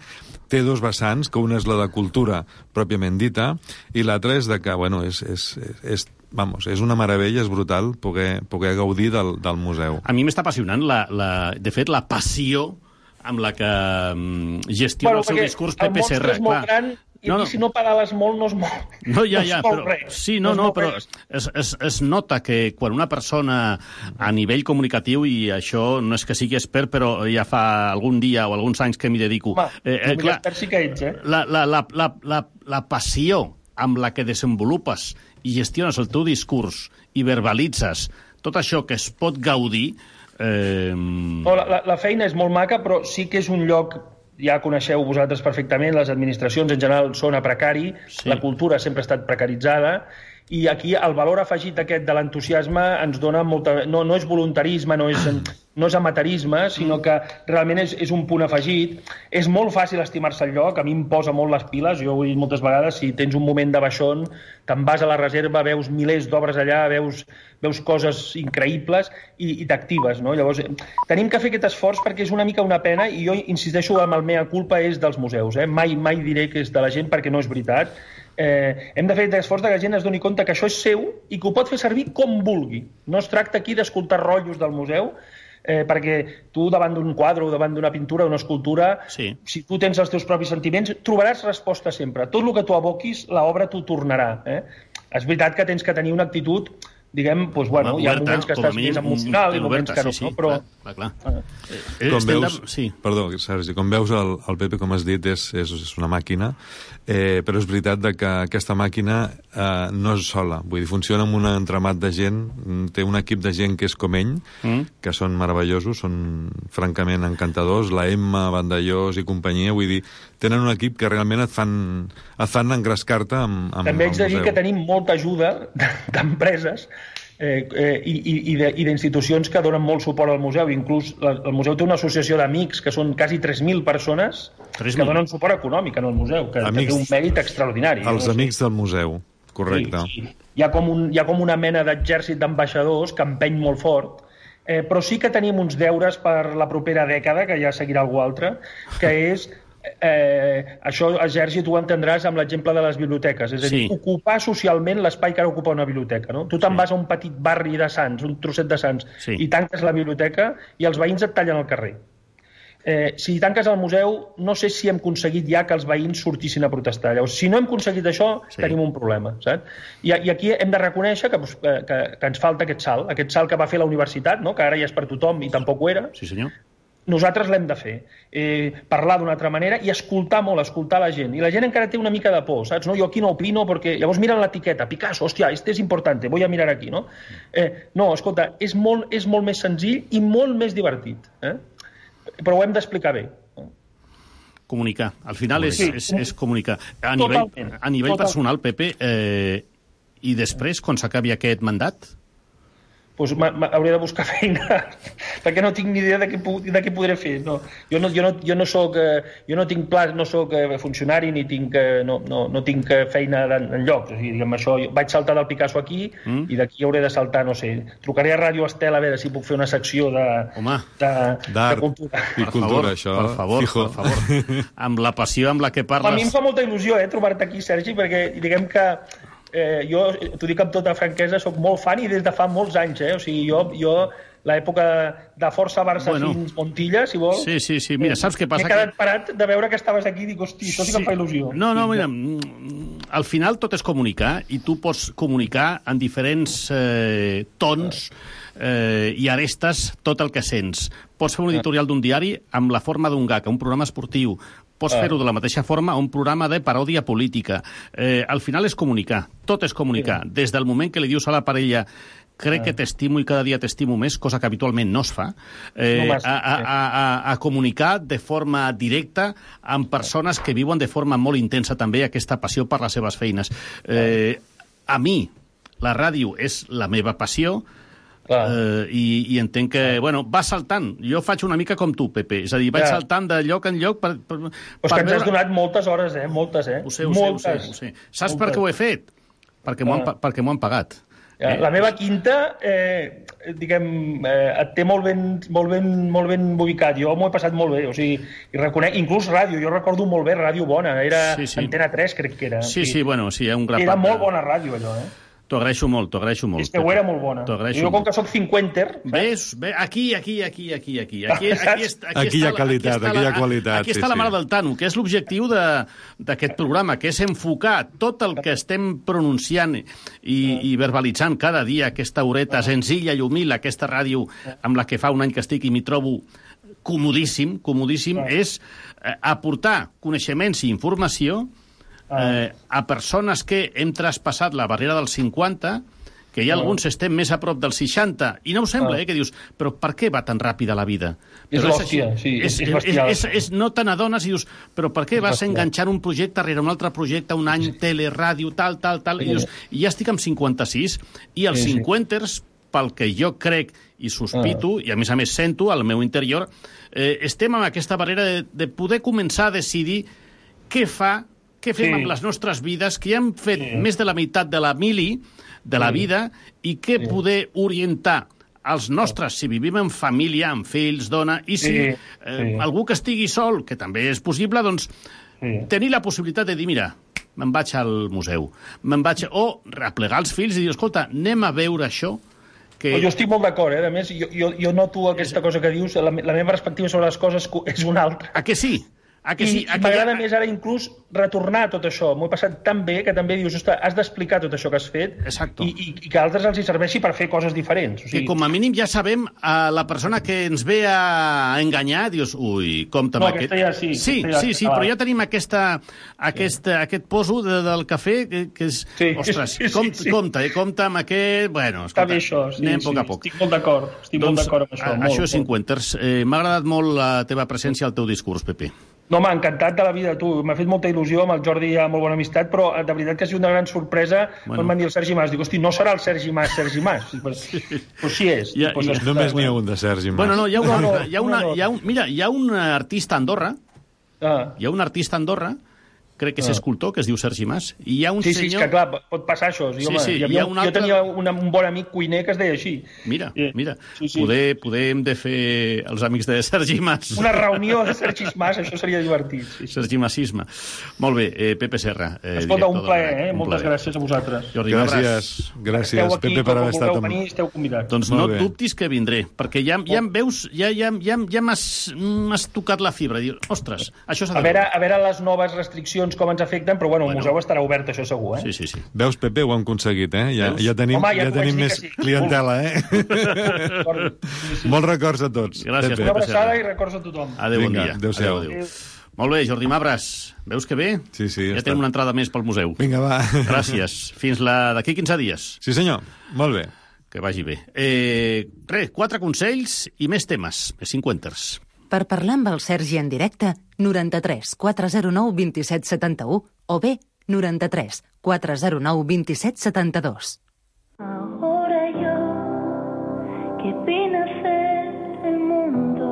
té dos vessants, que una és la de cultura pròpiament dita, i l'altra és de que, bueno, és, és, és, vamos, és una meravella, és brutal poder, poder gaudir del, del museu. A mi m'està apassionant, la, la, de fet, la passió amb la que um, gestiona bueno, el seu discurs P P C R. El monstre és molt gran i no, no. si no pedales molt no es mou, no, ja, ja, no es mou però, res. Sí, no, no, no però es, es, es nota que quan una persona a nivell comunicatiu, i això no és que sigui expert, però ja fa algun dia o alguns anys que m'hi dedico... Home, eh, eh, clar, expert sí que ets, eh? La, la, la, la, la, la passió amb la que desenvolupes i gestiones el teu discurs i verbalitzes tot això que es pot gaudir... Eh... No, la, la feina és molt maca, però sí que és un lloc, ja coneixeu vosaltres perfectament, les administracions en general són a precari, sí. La cultura sempre ha estat precaritzada, i aquí el valor afegit aquest de l'entusiasme ens dona molta... No, no és voluntarisme, no és, no és amateurisme, sinó que realment és, és un punt afegit. És molt fàcil estimar-se el lloc, a mi em posa molt les piles, jo ho he dit moltes vegades, si tens un moment de baixón, te'n vas a la reserva, veus milers d'obres allà, veus, veus coses increïbles i, i t'actives, no? Llavors, tenim que fer aquest esforç perquè és una mica una pena, i jo insisteixo amb el mea culpa és dels museus, eh? Mai, mai diré que és de la gent perquè no és veritat. Eh, hem de fer l'esforç que la gent es doni compte que això és seu i que ho pot fer servir com vulgui. No es tracta aquí d'escoltar rotllos del museu, eh, perquè tu davant d'un quadre o davant d'una pintura o una escultura, sí. Si tu tens els teus propis sentiments, trobaràs resposta sempre. Tot el que tu aboquis, l'obra t'ho tornarà. Eh? És veritat que tens que tenir una actitud, diguem, doncs, bueno, hi ha moments que estàs més emocional i moments que no, sí, sí, no? Però... Clar, clar. Ah. Eh, com veus, sí. Perdó, Sergi, com veus el, el Pepe, com has dit, és, és, és una màquina, eh, però és veritat de que aquesta màquina eh, no és sola, vull dir, funciona amb un entramat de gent, té un equip de gent que és com ell, mm. que són meravellosos, són francament encantadors, la Emma, Vandellós i companyia, vull dir, tenen un equip que realment et fan, et fan engrescar-te amb, amb També haig de dir que tenim molta ajuda d'empreses eh, eh, i, i d'institucions que donen molt suport al museu. Inclús la, el museu té una associació d'amics que són quasi tres mil persones que donen suport econòmic en el museu, que, que té un mèrit extraordinari. Els no? amics del museu, correcte. Sí, sí. Hi, ha com un, hi ha com una mena d'exèrcit d'ambaixadors que empeny molt fort, eh, però sí que tenim uns deures per la propera dècada, que ja seguirà algú altre, que és... Eh, això, Sergi, tu ho entendràs amb l'exemple de les biblioteques, és a dir, sí. ocupar socialment l'espai que ara ocupa una biblioteca, no? Tu te'n sí. vas a un petit barri de Sants, un trosset de Sants, sí. i tanques la biblioteca i els veïns et tallen al carrer. Eh, si tanques el museu, no sé si hem aconseguit ja que els veïns sortissin a protestar. Llavors, si no hem aconseguit això, sí. tenim un problema, saps? I, i aquí hem de reconèixer que, que, que ens falta aquest salt, aquest salt que va fer la universitat, no? Que ara ja és per tothom i tampoc ho era. Sí, senyor. Nosaltres l'hem de fer, eh, parlar d'una altra manera i escoltar molt, escoltar la gent. I la gent encara té una mica de por, saps? No, jo aquí no opino perquè... Llavors miren l'etiqueta, Picasso, hòstia, este és important, voy a mirar aquí, no? Eh, no, escolta, és molt, és molt més senzill i molt més divertit, eh? Però ho hem d'explicar bé. Comunicar. Al final és, sí. és, és comunicar. A nivell, a nivell personal, Pepe, eh, i després, quan s'acabi aquest mandat... Doncs hauré de buscar feina perquè no tinc ni idea de què, de què podré fer. No, jo, no, jo, no, jo, no soc, jo no tinc pla, no soc funcionari ni tinc, no, no, no tinc feina en, en lloc. O sigui, diguem, això, vaig saltar del Picasso aquí mm. i d'aquí hauré de saltar, no sé, trucaré a Ràdio Estel a veure si puc fer una secció de, de, de cultura. I cultura, això. Per favor, Fijo. per favor. Amb la passió amb la que parles... A mi em fa molta il·lusió eh, trobar-te aquí, Sergi, perquè diguem que Eh, jo, t'ho dic amb tota franquesa, sóc molt fan i des de fa molts anys, eh? O sigui, jo, jo l'època de Força Barça bueno, fins Montilla, si vols... Sí, sí, sí, mira, saps què passa? M'he quedat que... parat de veure que estaves aquí i dic, hosti, això sí que em fa il·lusió. No, no, mira, al final tot és comunicar i tu pots comunicar en diferents eh, tons eh, i arestes tot el que sents. Pots fer un editorial d'un diari amb la forma d'un gag, un programa esportiu, pots fer-ho de la mateixa forma a un programa de paròdia política. Eh, al final és comunicar, tot és comunicar. Des del moment que li dius a la parella crec que t'estimo i cada dia t'estimo més, cosa que habitualment no es fa, eh, a, a, a, a comunicar de forma directa amb persones que viuen de forma molt intensa també aquesta passió per les seves feines. Eh, a mi, la ràdio és la meva passió, Uh, i, i entenc que, bueno, va saltant. Jo faig una mica com tu, Pepe. És a dir, vaig ja. saltant de lloc en lloc per, per, per Pues que ens has donat moltes hores, eh? Moltes, eh? Ho sé, ho moltes. sé, ho sé, ho sé. Saps moltes. per què ho he fet? Perquè m'ho han, perquè m'ho han pagat. Ja, eh? La meva quinta, eh, diguem, eh, et té molt ben, molt, ben, molt ben ubicat. Jo m'ho he passat molt bé. O sigui, i reconec, inclús ràdio, jo recordo molt bé Ràdio Bona. Era sí, sí. Antena tres, crec que era. Sí, sí, bueno, sí, hi ha un grapat. Era molt bona ràdio, allò, eh? T'ho agraeixo molt, t'ho agraeixo molt. És que ho era molt bona. Jo, com que soc cinquenter... Ves? Ve, aquí, aquí, aquí, aquí, aquí. Aquí, aquí, aquí, aquí hi ha qualitat, aquí hi ha qualitat. Aquí està la mare del Tano, que és l'objectiu d'aquest programa, que és enfocar tot el que estem pronunciant i, i verbalitzant cada dia, aquesta horeta senzilla i humil, aquesta ràdio amb la que fa un any que estic i m'hi trobo comodíssim, comodíssim, és aportar coneixements i informació eh, a persones que hem traspassat la barrera dels cinquanta, que hi ha alguns estem més a prop dels seixanta, i no ho sembla, eh, que dius, però per què va tan ràpida la vida? És Però l'hòstia, sí, és, és és, bestial. és, és, no te n'adones i dius, però per què És vas bestial. enganxant un projecte rere un altre projecte, un any, tele, ràdio, tal, tal, tal, i dius, i ja estic amb cinquanta-sis, i els Sí, sí. cinquanters, pel que jo crec i sospito, Ah. i a més a més sento al meu interior, eh, estem amb aquesta barrera de, de poder començar a decidir què fa, què fem Sí. amb les nostres vides, que ja hem fet Sí. més de la meitat de la mili, de la Sí. vida, i què Sí. poder orientar els nostres, si vivim en família, amb fills, dona, i si Sí, eh, sí. algú que estigui sol, que també és possible, doncs Sí. tenir la possibilitat de dir, mira, me'n vaig al museu, me'n vaig... O replegar els fills i dir, escolta, anem a veure això, que... Jo estic molt d'acord, eh? A més, jo, jo, jo noto aquesta cosa que dius, la, la meva perspectiva sobre les coses és una altra. A que sí? A que I, sí? i A que m'agrada ja- més ara inclús retornar tot això. M'ho he passat tan bé que també dius, ostres, has d'explicar tot això que has fet Exacto. i, i, i que a altres els hi serveixi per fer coses diferents. O Que sigui, com a mínim ja sabem a la persona que ens ve a enganyar, dius, ui, compte amb No, aquest... aquesta ja sí, Sí, aquesta ja- sí, sí, ah. però ja tenim aquesta, aquest, aquest poso de, del cafè que, que és... Sí, Ostres, sí, sí, com, sí. compte, eh, compte amb aquest... Bueno, Està escolta, bé això, sí, anem a sí, poc a poc. estic molt d'acord, estic molt d'acord amb això. a- molt, això és molt. cinquanters. Eh, M'ha agradat molt la teva presència al teu discurs, Pepe. No, m'ha encantat de la vida, tu. M'ha fet molta il·lusió, amb el Jordi hi ha molt bona amistat, però eh, de veritat que ha sigut una gran sorpresa Bueno. quan van dir el Sergi Mas. Dic, hosti, no serà el Sergi Mas, Sergi Mas. Dic, Pues, pues sí és. Ja- Dic, pues, ja- escolta, Només n'hi ha bueno. un de Sergi Mas. Bueno, no, hi ha, una, No, no, hi ha, una, no, no. hi ha un, mira, hi ha un artista a Andorra, Ah. hi ha un artista a Andorra, crec que és Ah. escultor, que es diu Sergi Mas, i hi ha un Sí, sí, és senyor... que clar, pot passar això. Sí, Sí, home, sí, hi hi havia, ha un jo altre- tenia una, un bon amic cuiner que es deia així. Mira, Eh, mira, sí, sí. poder, poder hem de fer els amics de Sergi Mas. Una reunió de Sergi Mas, això seria divertit. Sí, sí. Sergi Masisme. Molt bé, eh, Pepe Serra. Eh, Escolta, un director plaer, del- eh? un Moltes plaer. gràcies a vosaltres. Jordi, un abraç. Gràcies, gràcies, Esteu aquí, Pepe, per haver quan estat vulgueu amb... venir, esteu convidats. Doncs Molt no bé. dubtis que vindré, perquè ja, ja em veus, ja, ja, ja, ja m'has m'has tocat la fibra. Dius, ostres, això s'ha de A veure, veure. a veure les noves restriccions com ens afecten, però bueno, el museu estarà obert, això segur, eh? Sí, sí, sí. Veus, Pepe, ho hem aconseguit, eh? Ja, Veus? ja tenim, Home, ja ja t'ho vaig tenim dir més que sí. clientela, eh? Molts records a tots. Gràcies, Pepe. Una Pepe abraçada Serra. i records a tothom. Adéu, bon Vinga, dia. adéu-siau. Adéu, adéu. Molt bé, Jordi Mabras, veus que bé? Sí, sí, Ja està. tenim una entrada més pel museu. Vinga, va. Gràcies. Fins la d'aquí quinze dies. Sí, senyor. Molt bé. Que vagi bé. Eh, res, quatre consells i més temes, més cinquanters. Per parlar amb el Sergi en directe, noranta-tres quatre zero nou vint set setanta-u o bé noranta-tres quatre zero nou vint set setanta-dos. Ahora yo, que vine a ser el mundo,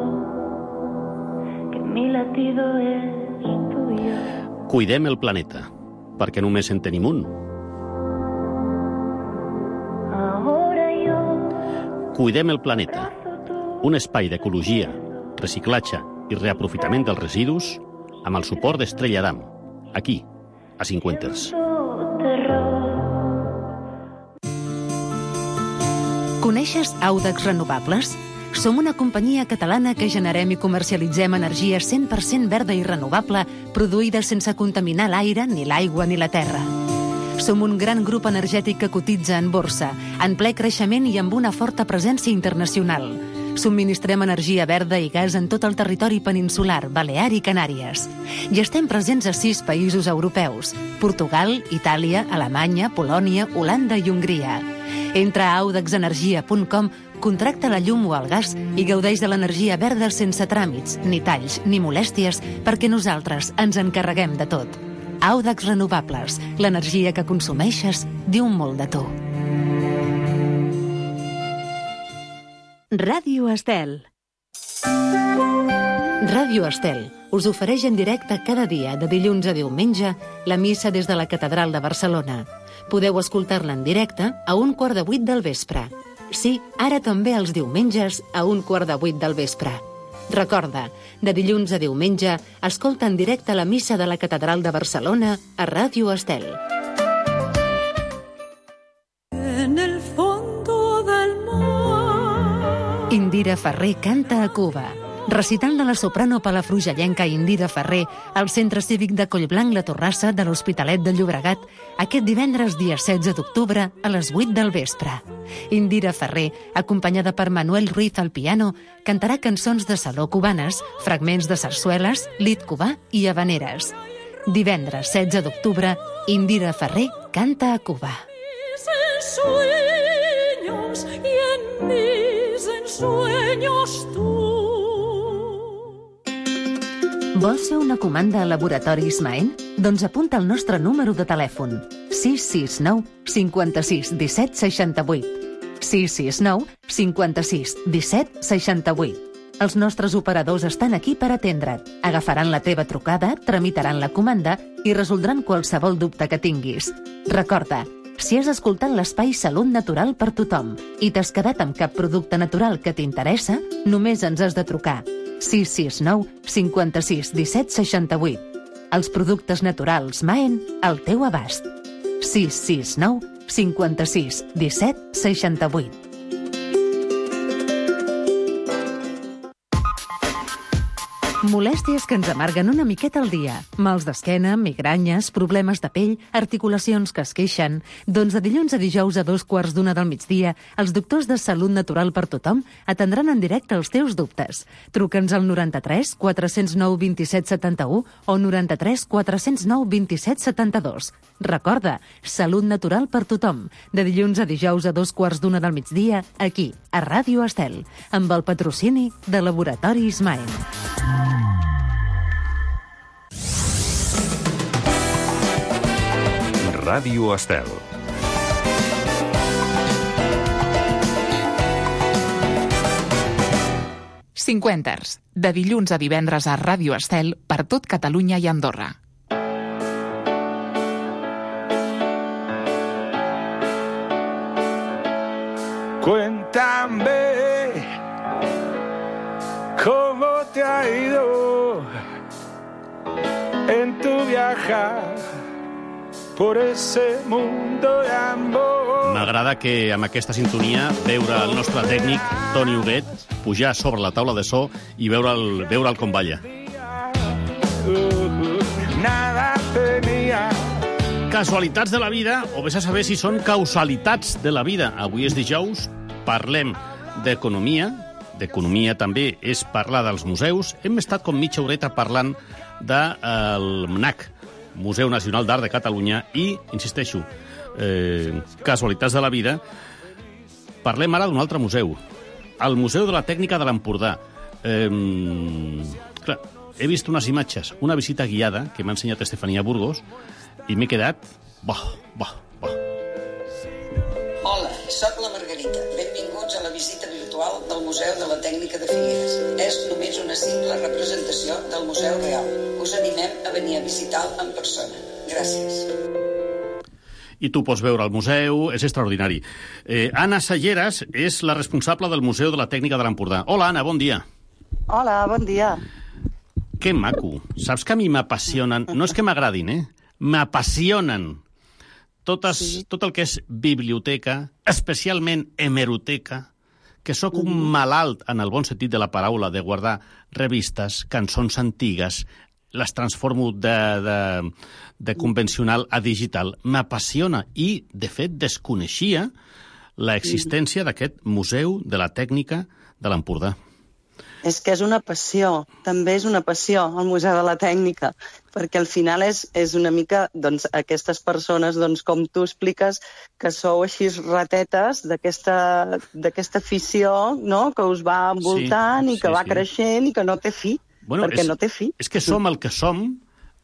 que mi latido es tuyo. Cuidem el planeta, perquè només en tenim un. Ahora yo, Cuidem el planeta, un espai d'ecologia, reciclatge i reaprofitament dels residus amb el suport d'Estrella Damm, aquí, a Cinquanters. Coneixes Audax Renovables? Som una companyia catalana que generem i comercialitzem energia cent per cent verda i renovable, produïda sense contaminar l'aire, ni l'aigua, ni la terra. Som un gran grup energètic que cotitza en borsa, en ple creixement i amb una forta presència internacional. Subministrem energia verda i gas en tot el territori peninsular, Balear i Canàries. I estem presents a sis països europeus: Portugal, Itàlia, Alemanya, Polònia, Holanda i Hongria. Entra a audax energia punt com, contracta la llum o el gas i gaudeix de l'energia verda sense tràmits, ni talls, ni molèsties, perquè nosaltres ens encarreguem de tot. Audax Renovables, l'energia que consumeixes diu molt de tu. Ràdio Estel. Ràdio Estel us ofereix en directe cada dia, de dilluns a diumenge, la missa des de la Catedral de Barcelona. Podeu escoltar-la en directe a un quart de vuit del vespre. Sí, ara també els diumenges a un quart de vuit del vespre. Recorda, de dilluns a diumenge, escolta en directe la missa de la Catedral de Barcelona a Ràdio Estel. En el fondo del mar. Indira Ferrer canta a Cuba. Recital de la soprano palafrugellenca Indira Ferrer al Centre Cívic de Collblanc La Torrassa de l'Hospitalet de Llobregat aquest divendres dia setze d'octubre a les vuit del vespre. Indira Ferrer, acompanyada per Manuel Ruiz al piano, cantarà cançons de saló cubanes, fragments de sarsueles, lit cubà i habaneres. Divendres setze d'octubre, Indira Ferrer canta a Cuba. Sueños y en mis ensueños tú. Vols fer una comanda a Laboratoris Maen? Doncs apunta el nostre número de telèfon sis sis nou cinquanta-sis disset seixanta-vuit. sis sis nou cinquanta-sis disset seixanta-vuit. Els nostres operadors estan aquí per atendre't. Agafaran la teva trucada, tramitaran la comanda i resoldran qualsevol dubte que tinguis. Recorda, si has escoltat l'espai Salut Natural per tothom i t'has quedat amb cap producte natural que t'interessa, només ens has de trucar sis sis nou cinquanta-sis disset seixanta-vuit. Els productes naturals Maen al teu abast. sis sis nou cinquanta-sis disset seixanta-vuit. Molèsties que ens amarguen una miqueta al dia. Mals d'esquena, migranyes, problemes de pell, articulacions que es queixen. Doncs de dilluns a dijous a dos quarts d'una del migdia, els doctors de Salut Natural per tothom atendran en directe els teus dubtes. Truca'ns al noranta-tres quatre zero nou vint-i-set setanta-u o noranta-tres quatre zero nou vint-i-set setanta-dos. Recorda, Salut Natural per tothom. De dilluns a dijous a dos quarts d'una del migdia, aquí, a Ràdio Estel, amb el patrocini de Laboratoris Maen. Ràdio Estel. Cinquenters, de dilluns a divendres a Ràdio Estel per tot Catalunya i Andorra. Cuéntame cómo te ha ido en tu viajar por ese mundo de amor. M'agrada que amb aquesta sintonia veure el nostre tècnic, Toni Huguet, pujar sobre la taula de so i veure'l veure com balla. Nada tenía. Casualitats de la vida, o vés a saber si són causalitats de la vida. Avui és dijous, parlem d'economia, d'economia també és parlar dels museus. Hem estat com mitja horeta parlant del M N A C, Museu Nacional d'Art de Catalunya, i, insisteixo, eh, casualitats de la vida. Parlem ara d'un altre museu, el Museu de la Tècnica de l'Empordà. Eh, clar, he vist unes imatges, una visita guiada que m'ha ensenyat Estefania Burgos, i m'he quedat... Bah, bah, bah. Hola, soc la Margarita. Benvinguts a la visita virtual del Museu de la Tècnica de Figueres. És només una simple representació del Museu Real. Us animem a venir a visitar-lo en persona. Gràcies. I tu pots veure el museu, és extraordinari. Eh, Anna Salleras és la responsable del Museu de la Tècnica de l'Empordà. Hola, Anna, bon dia. Hola, bon dia. Que maco. Saps que a mi m'apassionen... No és que m'agradin, eh? M'apassionen totes, sí. tot el que és biblioteca, especialment hemeroteca, que sóc un malalt, en el bon sentit de la paraula, de guardar revistes, cançons antigues, les transformo de, de, de convencional a digital. M'apassiona i, de fet, desconeixia l'existència d'aquest Museu de la Tècnica de l'Empordà. És que és una passió, també és una passió, el Museu de la Tècnica, perquè al final és, és una mica doncs, aquestes persones, doncs, com tu expliques, que sou així ratetes d'aquesta afició, no?, que us va envoltant, sí, i que sí, va sí. creixent i que no té fi, bueno, perquè és, no té fi. És que som el que som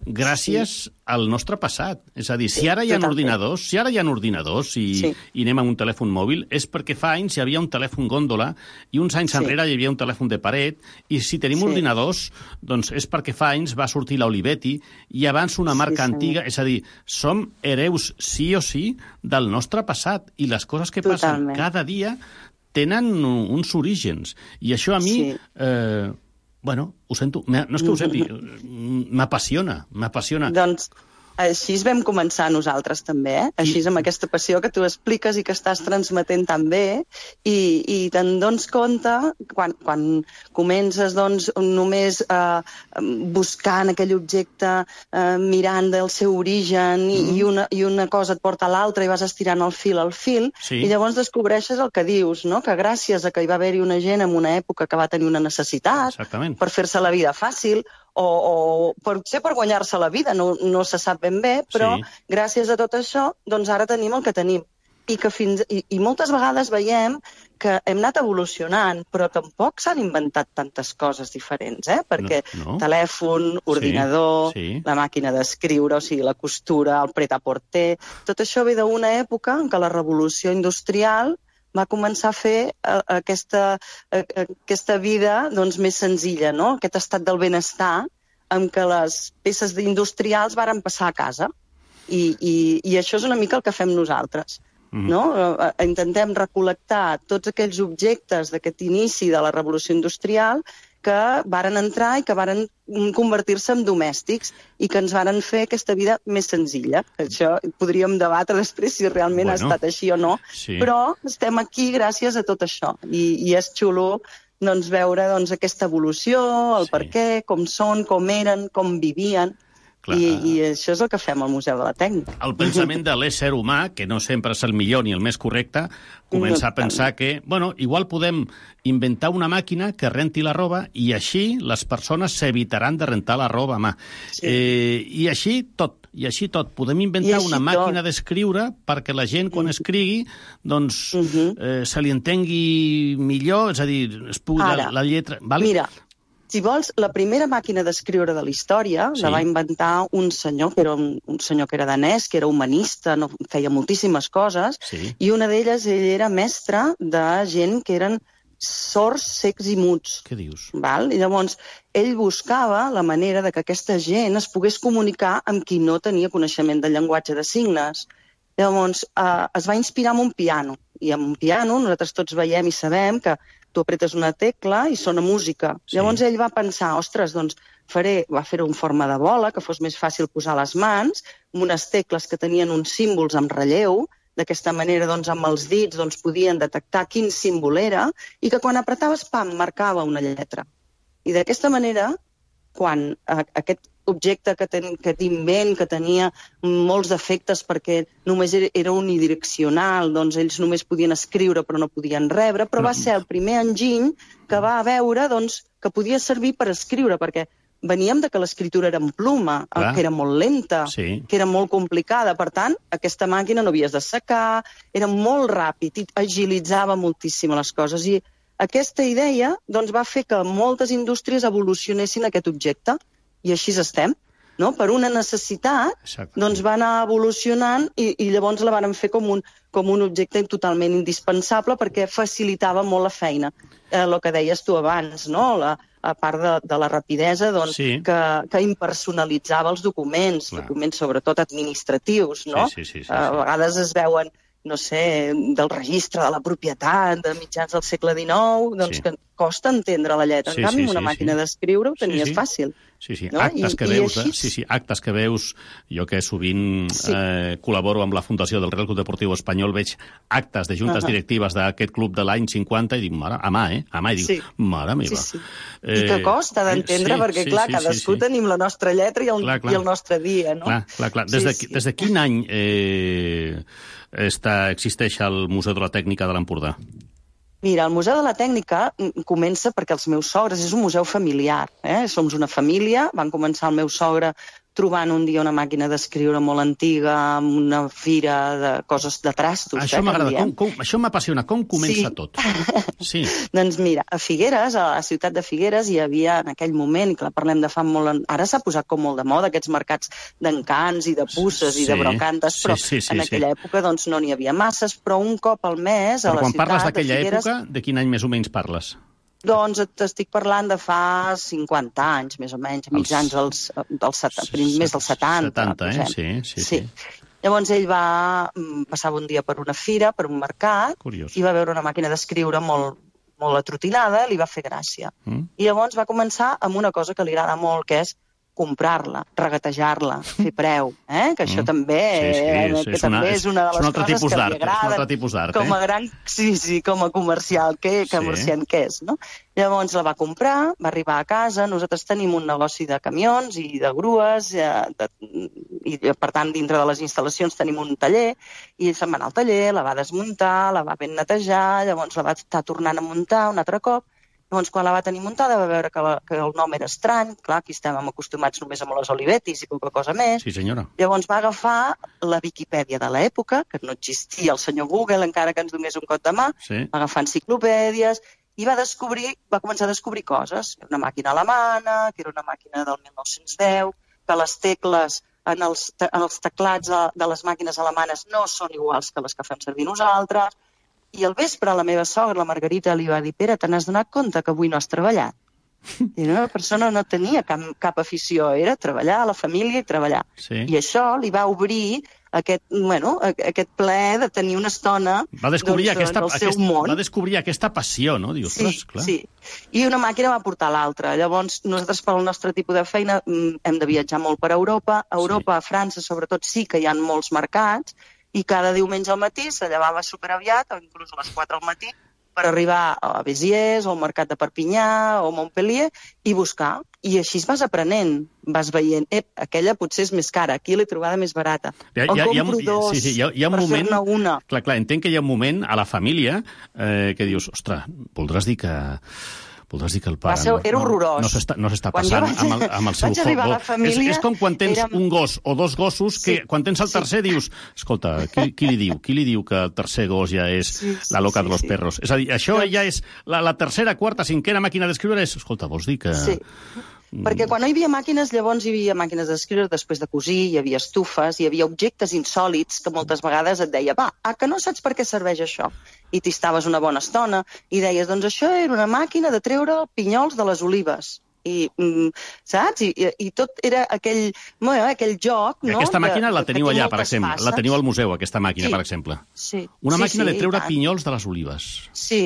gràcies sí. al nostre passat. És a dir, si ara hi ha ordinadors, si ara hi ha ordinadors i, sí. i anem amb un telèfon mòbil, és perquè fa anys hi havia un telèfon gòndola i uns anys sí. enrere hi havia un telèfon de paret, i si tenim sí. ordinadors, doncs és perquè fa anys va sortir l'Olivetti i abans una marca sí, antiga. És a dir, som hereus sí o sí del nostre passat, i les coses que Totalment. passen cada dia tenen uns orígens. I això a mi... Sí. Eh, Bueno, ho sento. No és que ho senti, m'apassiona, m'apassiona. Doncs així vam començar nosaltres també, eh? Així amb aquesta passió que tu expliques i que estàs transmetent tan bé, i, i te'n dones compte, quan, quan comences doncs, només eh, buscant aquell objecte, eh, mirant del seu origen, i, mm. i, una, i una cosa et porta a l'altra i vas estirant el fil al fil, sí. i llavors descobreixes el que dius, no? Que gràcies a que hi va haver-hi una gent en una època que va tenir una necessitat Exactament. per fer-se la vida fàcil, o, o potser per guanyar-se la vida, no, no se sap ben bé, però sí. gràcies a tot això, doncs ara tenim el que tenim. I, que fins, i, i moltes vegades veiem que hem anat evolucionant, però tampoc s'han inventat tantes coses diferents, eh? Perquè no, no. telèfon, ordinador, sí, sí. la màquina d'escriure, o sigui, la costura, el pret-à-porter, tot això ve d'una època en què la revolució industrial va començar a fer uh, aquesta, uh, aquesta vida doncs, més senzilla, no? Aquest estat del benestar en què les peces industrials varen passar a casa. I, i, i això és una mica el que fem nosaltres. No? Intentem recol·lectar tots aquells objectes d'aquest inici de la revolució industrial que varen entrar i que varen convertir-se en domèstics i que ens varen fer aquesta vida més senzilla. Això podríem debatre després si realment bueno, ha estat així o no, sí. però estem aquí gràcies a tot això. I, i és xulo doncs, veure doncs, aquesta evolució, el sí. per què, com són, com eren, com vivien... I, I això és el que fem al Museu de la Tècnica. El pensament de l'ésser humà, que no sempre és el millor ni el més correcte, comença a pensar que, bueno, igual podem inventar una màquina que renti la roba i així les persones s'evitaran de rentar la roba a mà. Sí. Eh, I així tot, i així tot. Podem inventar una màquina d'escriure perquè la gent, quan escrigui, doncs uh -huh. eh, se li entengui millor, és a dir, es pugui Ara, la, la lletra... Vale? Mira, si vols, la primera màquina d'escriure de la història sí. la va inventar un senyor, que era un, un senyor que era danès, que era humanista, no, feia moltíssimes coses, sí. i una d'elles ell era mestre de gent que eren sords, cecs i muts. Què dius? Val? I llavors, ell buscava la manera de que aquesta gent es pogués comunicar amb qui no tenia coneixement del llenguatge de signes. Llavors, eh, es va inspirar en un piano. I amb un piano, nosaltres tots veiem i sabem que tu apretes una tecla i sona música. Sí. Llavors ell va pensar, ostres, doncs faré, va fer-ho en forma de bola, que fos més fàcil posar les mans, amb unes tecles que tenien uns símbols amb relleu, d'aquesta manera, doncs, amb els dits doncs, podien detectar quin símbol era, i que quan apretaves, pam, marcava una lletra. I d'aquesta manera, quan eh, aquest objecte que, ten, que t'invent, que tenia molts defectes perquè només era, era unidireccional, doncs ells només podien escriure però no podien rebre, però va ser el primer enginy que va veure doncs, que podia servir per escriure, perquè veníem de que l'escriptura era en pluma, Clar. que era molt lenta, sí. que era molt complicada. Per tant, aquesta màquina no havies de secar, era molt ràpid i agilitzava moltíssim les coses. I aquesta idea doncs, va fer que moltes indústries evolucionessin aquest objecte. I així estem, no? Per una necessitat, Exacte. doncs va anar evolucionant i, i llavors la van fer com un, com un objecte totalment indispensable perquè facilitava molt la feina. Eh, el que deies tu abans, no? La, a part de, de la rapidesa, doncs, sí. que, que impersonalitzava els documents, Clar. documents sobretot administratius, no? Sí, sí, sí, sí, sí. A vegades es veuen, no sé, del registre de la propietat de mitjans del segle dinou, doncs sí. que costa entendre la lletra. Sí, en canvi, sí, una sí, màquina sí. d'escriure ho tenies sí, sí. fàcil. Sí, sí, no? actes, I, que i veus, així... sí, sí, actes que veus, jo que sovint sí. eh, col·laboro amb la Fundació del Real Club Deportiu Espanyol, veig actes de juntes uh -huh. directives d'aquest club de l'any cinquanta i dic, mare, a mà, eh? A mà, i dic, sí. mare meva. Sí, sí. I que costa d'entendre, eh, sí, perquè, sí, clar, sí, cadascú sí, sí. tenim la nostra lletra i el, clar, clar. i el nostre dia, no? Clar, clar, clar. Des, sí, de, sí. des de quin any eh, està, existeix el Museu de la Tècnica de l'Empordà? Mira, el Museu de la Tècnica comença perquè els meus sogres és un museu familiar. Eh? Som una família, van començar el meu sogre trobant un dia una màquina d'escriure molt antiga, amb una fira de coses de trastos. Això eh, m'agrada, com, com, això m'apassiona. Com comença sí. tot? Sí. Doncs mira, a Figueres, a la ciutat de Figueres, hi havia en aquell moment, i que la parlem de fa molt... Ara s'ha posat com molt de moda aquests mercats d'encants i de puces sí. i de brocantes, però sí, sí, sí, en aquella sí. època doncs, no n'hi havia masses, però un cop al mes a però la ciutat de Figueres... Però quan parles d'aquella època, de quin any més o menys parles? Doncs t'estic parlant de fa cinquanta anys, més o menys, mitjans dels, dels setanta, més dels setanta. setanta, eh? Sí, sí, sí, sí. Llavors ell va passar un dia per una fira, per un mercat, Curiós. i va veure una màquina d'escriure molt, molt atrotinada, li va fer gràcia. Mm. I llavors va començar amb una cosa que li agrada molt, que és comprar-la, regatejar-la, fer preu, eh? que això mm. també, sí, sí, eh? sí, que és també una, és una de les coses que li agrada. És un altre tipus d'art, com a eh? gran, sí, sí, com a comercial, que, que comerciant sí. que és, no? Llavors la va comprar, va arribar a casa, nosaltres tenim un negoci de camions i de grues, eh, de, i per tant dintre de les instal·lacions tenim un taller, i se'n va anar al taller, la va desmuntar, la va ben netejar, llavors la va estar tornant a muntar un altre cop, Llavors, quan la va tenir muntada, va veure que, la, que el nom era estrany. Clar, aquí estàvem acostumats només amb les Olivetis i poca cosa més. Sí, senyora. Llavors va agafar la Viquipèdia de l'època, que no existia el senyor Google, encara que ens donés un cop de mà, Sí. va agafar enciclopèdies i va descobrir, va començar a descobrir coses. Era una màquina alemana, que era una màquina del mil nou-cents deu, que les tecles en els, te- en els teclats de, de les màquines alemanes no són iguals que les que fem servir nosaltres. I al vespre la meva sogra, la Margarita, li va dir: Pere, te n'has donat compte que avui no has treballat? I una persona no tenia cap, cap afició, era treballar a la família i treballar. Sí. I això li va obrir aquest, bueno, a- aquest ple de tenir una estona Va descobrir, doncs, aquesta, del seu aquest, món. va descobrir aquesta passió, no? Dius, Sí, ostres, clar. sí. I una màquina va portar l'altra. Llavors, nosaltres, pel nostre tipus de feina, mm, hem de viatjar molt per Europa. A Europa, sí. A França, sobretot, sí que hi ha molts mercats, i cada diumenge al matí se llevava superaviat, o inclús a les quatre al matí, per arribar a Béziers, o al mercat de Perpinyà, o Montpellier, i buscar. I així es vas aprenent, vas veient, ep, aquella potser és més cara, aquí l'he trobada més barata. Hi ha, En hi ha, hi ha, compro dos sí, sí, hi ha, hi ha un per moment... fer-ne una. Clar, clar, entenc que hi ha un moment a la família eh, que dius, ostres, voldràs dir que... Voldràs dir que el pare Va ser- no, era horrorós. no s'està no s'està Quan jo passant vaig- amb el, amb el seu vaig arribar a la foc. família, És, és com quan tens érem- un gos o dos gossos que Sí, quan tens el sí. tercer dius, escolta, qui, qui li diu? Qui li diu que el tercer gos ja és Sí, sí, la loca sí, de los sí. perros? És a dir, això ja és la, la tercera, quarta, cinquena màquina d'escriure és, escolta, vols dir que... Sí. Perquè quan no hi havia màquines, llavors hi havia màquines d'escriure, després de cosir, hi havia estufes, hi havia objectes insòlits que moltes vegades et deia, va, ah, que no saps per què serveix això? I t'hi estaves una bona estona i deies, doncs això era una màquina de treure pinyols de les olives. I, mm, saps? I, i, I tot era aquell, bueno, aquell joc, no? Aquesta màquina de, la que teniu té allà, per moltes exemple. fases. La teniu al museu, aquesta màquina, Sí. per exemple. Sí. Una sí, màquina sí, de treure i tant. pinyols de les olives. Sí,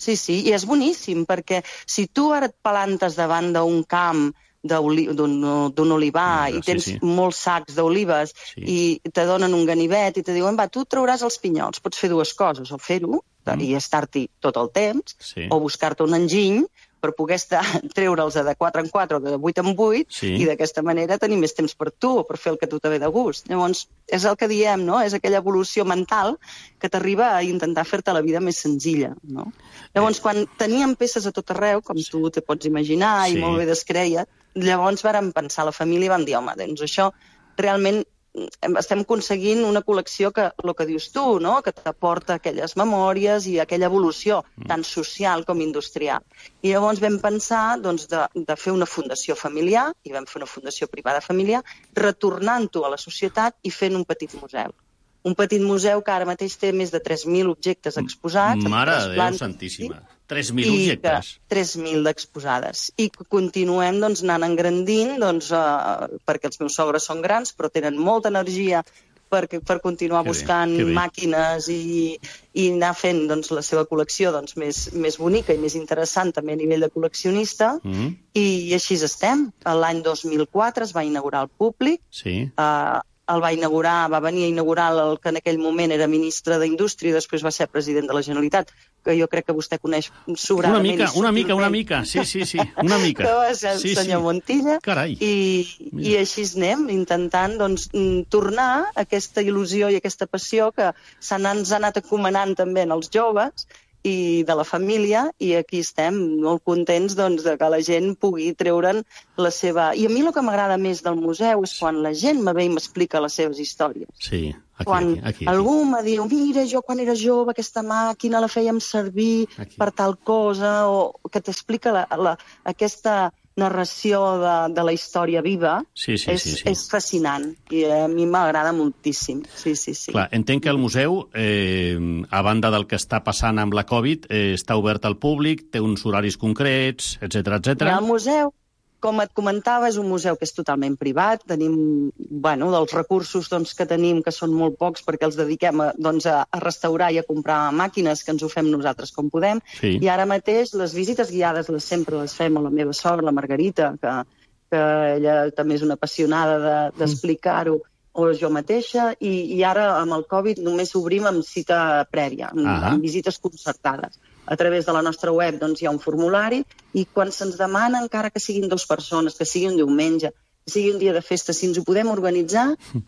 sí, sí, i és boníssim, perquè si tu ara et plantes davant d'un camp d'oli- d'un d'un olivar Ah, i sí, tens sí. molts sacs d'olives Sí. i te donen un ganivet i te diuen, va, tu trauràs els pinyols, pots fer dues coses, o fer-ho i estar-t'hi tot el temps, Sí. o buscar-te un enginy per poder estar, treure'ls de quatre en quatre o de vuit en vuit Sí. i d'aquesta manera tenir més temps per tu o per fer el que a tu te ve de gust. Llavors, és el que diem, no? És aquella evolució mental que t'arriba a intentar fer-te la vida més senzilla, no? Llavors, quan teníem peces a tot arreu, com tu te pots imaginar, Sí. i molt bé descreia, llavors vàrem pensar a la família i vam dir, home, doncs això realment em- estem aconseguint una col·lecció que, el que dius tu, no? Que t'aporta aquelles memòries i aquella evolució, tant social com industrial. I llavors vam pensar doncs, de, de fer una fundació familiar, i vam fer una fundació privada familiar, retornant-ho a la societat i fent un petit museu. Un petit museu que ara mateix té més de tres mil objectes exposats. en Mare tres de Déu plantes, santíssima. tres mil i objectes. que tres mil d'exposades. I que continuem doncs, anant engrandint, doncs, uh, perquè els meus sogres són grans, però tenen molta energia per, per continuar Que bé, buscant que bé. màquines i, i anar fent doncs, la seva col·lecció doncs, més, més bonica i més interessant també a nivell de col·leccionista. Mm, I així estem. L'any dos mil quatre es va inaugurar al públic. sí. Uh, el va inaugurar, va venir a inaugurar el que en aquell moment era ministre d'Indústria i després va ser president de la Generalitat, que jo crec que vostè coneix Una sobradament. mica, i una mica, una subtilment. mica. Sí, sí, sí, una mica. Que va ser el sí, senyor sí. Montilla. Carai. I, I així anem, intentant doncs, mm, tornar aquesta il·lusió i aquesta passió que s'han ens ha anat acomanant també en els joves i de la família, i aquí estem molt contents doncs, de que la gent pugui treure'n la seva... I a mi el que m'agrada més del museu és quan la gent me ve i m'explica les seves històries. Sí, aquí, Quan aquí, aquí, aquí. algú me diu, mira, jo quan era jove aquesta màquina la fèiem servir Aquí. per tal cosa, o que t'explica la, la, aquesta narració de, de la història viva, Sí, sí, és, sí, sí. és fascinant i a mi m'agrada moltíssim. Sí, sí, sí. Clar, entenc que el museu, eh, a banda del que està passant amb la Covid, eh, està obert al públic, té uns horaris concrets, etcètera, etcètera. El museu, com et comentava, és un museu que és totalment privat. Tenim, bueno, dels recursos doncs, que tenim, que són molt pocs, perquè els dediquem a, doncs, a, a restaurar i a comprar màquines, que ens ho fem nosaltres com podem. Sí. I ara mateix les visites guiades les sempre les fem a la meva sogra, la Margarita, que, que ella també és una apassionada de- d'explicar-ho, de, o jo mateixa, i, i ara amb el Covid només obrim amb cita prèvia, amb, Ah. amb visites concertades. A través de la nostra web doncs, hi ha un formulari i quan se'ns demana, encara que siguin dues persones, que sigui un diumenge, sigui un dia de festa, si ens ho podem organitzar,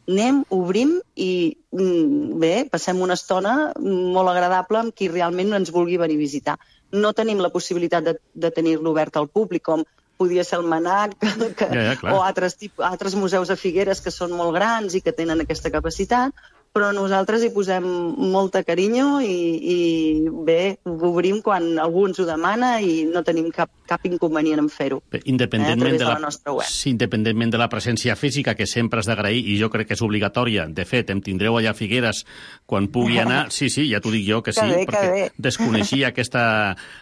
anem, obrim i bé, passem una estona molt agradable amb qui realment ens vulgui venir a visitar. No tenim la possibilitat de, de tenir-lo obert al públic, com podia ser el Manac que, ja, ja, o altres, tipus, altres museus a Figueres que són molt grans i que tenen aquesta capacitat, però nosaltres hi posem molta carinyo i, i bé, ho obrim quan algú ens ho demana i no tenim cap, cap inconvenient en fer-ho. Independentment, eh, de la, de la nostra web. sí, independentment de la presència física, que sempre has d'agrair, i jo crec que és obligatòria. De fet, em tindreu allà a Figueres quan pugui anar. Sí, sí, ja t'ho dic jo, que sí, que bé, perquè que bé. desconeixia aquesta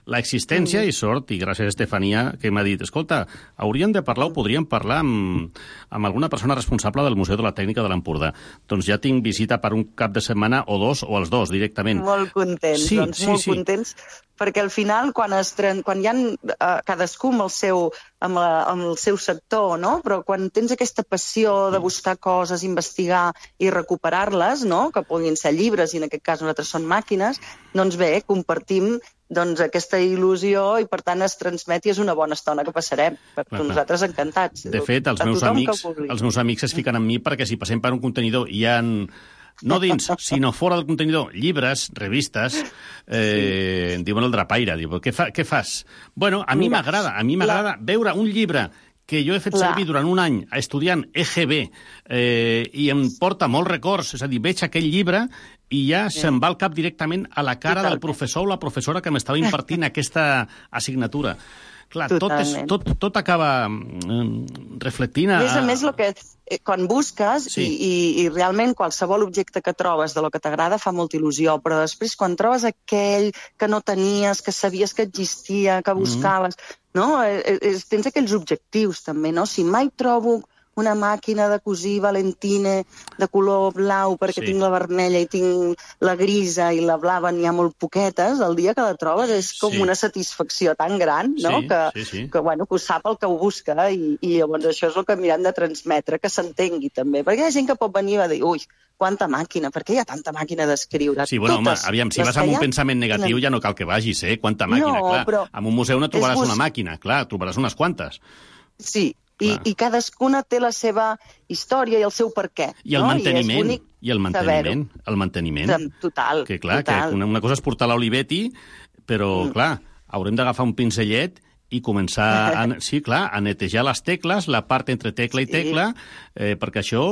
l'existència i sort, i gràcies a Estefania, que m'ha dit, escolta, hauríem de parlar o podríem parlar amb, amb alguna persona responsable del Museu de la Tècnica de l'Empordà. Doncs ja tinc visita per un cap de setmana o dos, o els dos, directament. Molt contents, sí, doncs, sí, molt sí. contents, perquè al final, quan, es, quan hi ha uh, cadascú amb el, seu, amb, la, amb el seu sector, no? Però quan tens aquesta passió de buscar coses, investigar i recuperar-les, no? Que puguin ser llibres, i en aquest cas nosaltres són màquines, doncs bé, compartim doncs, aquesta il·lusió i, per tant, es transmet i és una bona estona que passarem. Per clar, nosaltres encantats. De fet, els meus, amics, els meus amics es fiquen amb mi perquè si passem per un contenidor i hi ha, no dins, sinó fora del contenidor, llibres, revistes, eh, sí. diuen el drapaire, diu, què, fa, què fas? Bueno, a mi m'agrada, a mi m'agrada veure un llibre que jo he fet servir durant un any estudiant E G B eh, i em porta molts records, és a dir, veig aquell llibre i ja sí. se'n va al cap directament a la cara del professor o la professora que m'estava impartint aquesta assignatura. Clar, tot, és, tot, tot acaba mm, reflectint a... A més a més, lo que, quan busques sí. i, i, i realment qualsevol objecte que trobes de lo que t'agrada fa molta il·lusió, però després quan trobes aquell que no tenies, que sabies que existia, que buscaves, mm. no? Es, tens aquells objectius també, no? Si mai trobo una màquina de cosir Valentine de color blau perquè sí. tinc la vermella i tinc la grisa i la blava n'hi ha molt poquetes, el dia que la trobes és com sí. una satisfacció tan gran, no? Sí, que, sí, sí. que, bueno, que ho sap el que ho busca i, i llavors això és el que mirem de transmetre, que s'entengui també, perquè hi ha gent que pot venir a dir, ui, quanta màquina, per què hi ha tanta màquina d'escriure? Sí, bueno, Totes, home, aviam, si vas amb un pensament negatiu tenen... ja no cal que vagis, eh? Quanta màquina, no, clar. Però... En un museu no trobaràs bus... una màquina, clar, trobaràs unes quantes. Sí, I, i cadascuna té la seva història i el seu per què. I el no? manteniment. I, I el manteniment. El manteniment. Total. Que clar, total. que una, una cosa és portar l'Olivetti, però mm. clar, haurem d'agafar un pinzellet i començar, a, sí, clar, a netejar les tecles, la part entre tecla i tecla, sí. eh, perquè això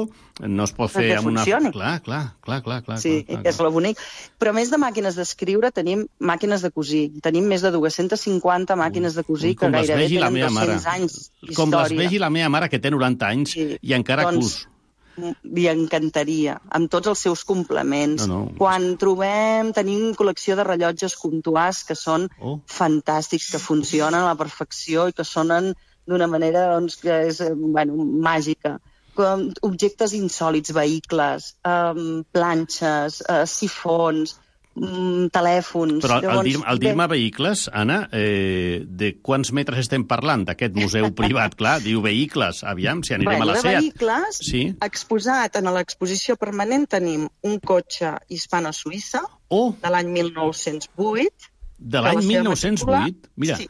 no es pot fer perquè amb una... funcioni. Clar, clar, clar, clar, clar. Sí, clar, clar, és lo bonic. Però a més de màquines d'escriure, tenim màquines de cosir. Tenim més de dues-centes cinquanta màquines de cosir que gairebé tenen dos-cents anys d'història. Com les vegi la meva mare, que té noranta anys, sí. i encara doncs, cus. Li encantaria, amb tots els seus complements. No, no. Quan trobem, tenim col·lecció de rellotges Comtois que són oh. fantàstics, que funcionen a la perfecció i que sonen d'una manera doncs, que és bueno, màgica. Com objectes insòlits, vehicles, um, planxes, uh, sifons, um, telèfons... Però al, dir, al dir-me vehicles, Anna, eh, de quants metres estem parlant d'aquest museu privat? Clar, diu vehicles, aviam, si anirem bueno, a la SEAT. De vehicles, sí. exposat en l'exposició permanent tenim un cotxe hispano-suïssa oh. de l'any mil nou-cents vuit. De l'any mil nou-cents vuit? Mira, sí.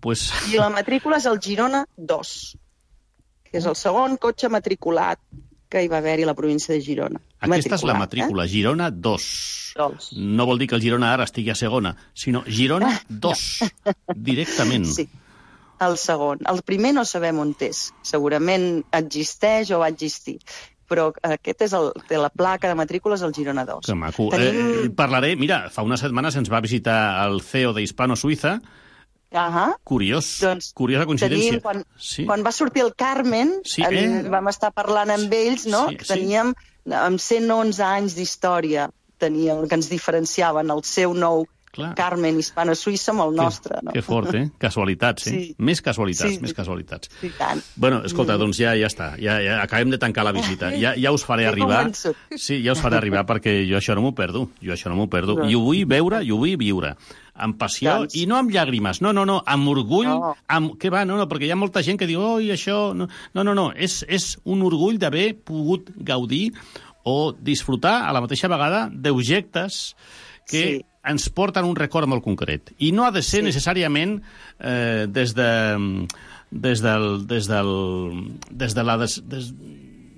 pues... I la matrícula és el Girona dos, que és el segon cotxe matriculat que hi va haver-hi a la província de Girona. Aquesta és la matrícula, eh? Girona dos. dos. No vol dir que el Girona ara estigui a segona, sinó Girona dos, directament. Sí, el segon. El primer no sabem on és. Segurament existeix o va existir. Però aquest és el, de la placa de matrícules del Girona dos. Que maco. Tenim... Eh, parlaré, mira, fa unes setmanes ens va visitar el C E O d'Hispano-Suïssa. Uh-huh. Curiós, doncs, curiosa coincidència. Tenim, quan, sí. quan va sortir el Carmen, sí, eh? en, vam estar parlant amb ells, no? Sí, que teníem, sí. amb cent onze anys d'història, teníem, que ens diferenciaven el seu nou Clar. Carmen hispano-suïssa amb el que, nostre. No? Que fort, eh? Casualitats, eh? Sí. Més casualitats, sí, més casualitats. Sí, tant. Bueno, escolta, doncs ja ja està. Ja, ja acabem de tancar la visita. Ja, ja us faré arribar. Sí, ja us faré arribar perquè jo això no m'ho perdo. Jo això no m'ho perdo. No. I ho vull veure, i ho vull viure. Amb passió, doncs. I no amb llàgrimes. No, no, no, amb orgull. No. Amb... Què va? No, no, perquè hi ha molta gent que diu, oi, això... No, no, no, no. És, és un orgull d'haver pogut gaudir o disfrutar a la mateixa vegada d'objectes que sí. ens porten un record molt concret. I no ha de ser sí. necessàriament eh, des de des del... Des del des de la... Des, des,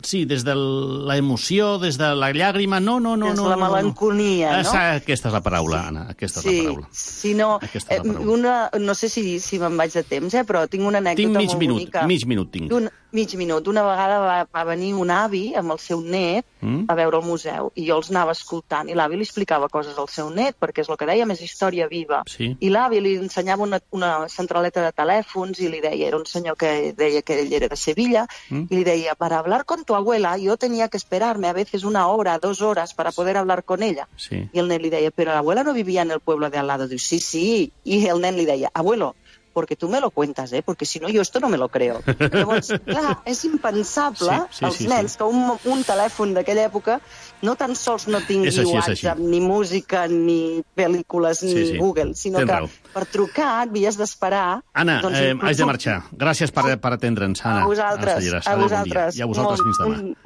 sí, des de l'emoció, des de la llàgrima, no, no, no. Des de no, la no, melancolia, no? Aquesta és la paraula, Anna, aquesta és sí, la paraula. Sí, no, Aquesta és la paraula. una, no sé si, si me'n vaig de temps, eh, però tinc una anècdota tinc mig molt minut, bonica. mig minut tinc. Un, mig minut. Una vegada va, va venir un avi amb el seu net mm? a veure el museu i jo els anava escoltant i l'avi li explicava coses al seu net perquè és el que dèiem, és història viva. Sí. I l'avi li ensenyava una, una centraleta de telèfons i li deia, era un senyor que deia que ell era de Sevilla, mm? i li deia, para hablar con tu abuela yo tenía que esperarme a veces una hora, dos horas para poder hablar con ella. Sí. Y el nen li deia, pero la abuela no vivía en el pueblo de al lado. Diu, sí, sí. Y el nen li deia, abuelo, porque tú me lo cuentas, ¿eh? Porque si no, yo esto no me lo creo. Llavors, clar, és impensable, sí, sí, els sí, nens, sí. que un, un telèfon d'aquella època no tan sols no tingui així, WhatsApp, ni música, ni pel·lícules, ni sí, sí. Google, sinó Tens que raó. per trucar havies d'esperar... Anna, doncs, eh, inclús... haig de marxar. Gràcies per, per atendre'ns, Anna. A vosaltres, Anna Salleras. a Adéu, bon vosaltres. dia. I a vosaltres Molt, fins demà. molt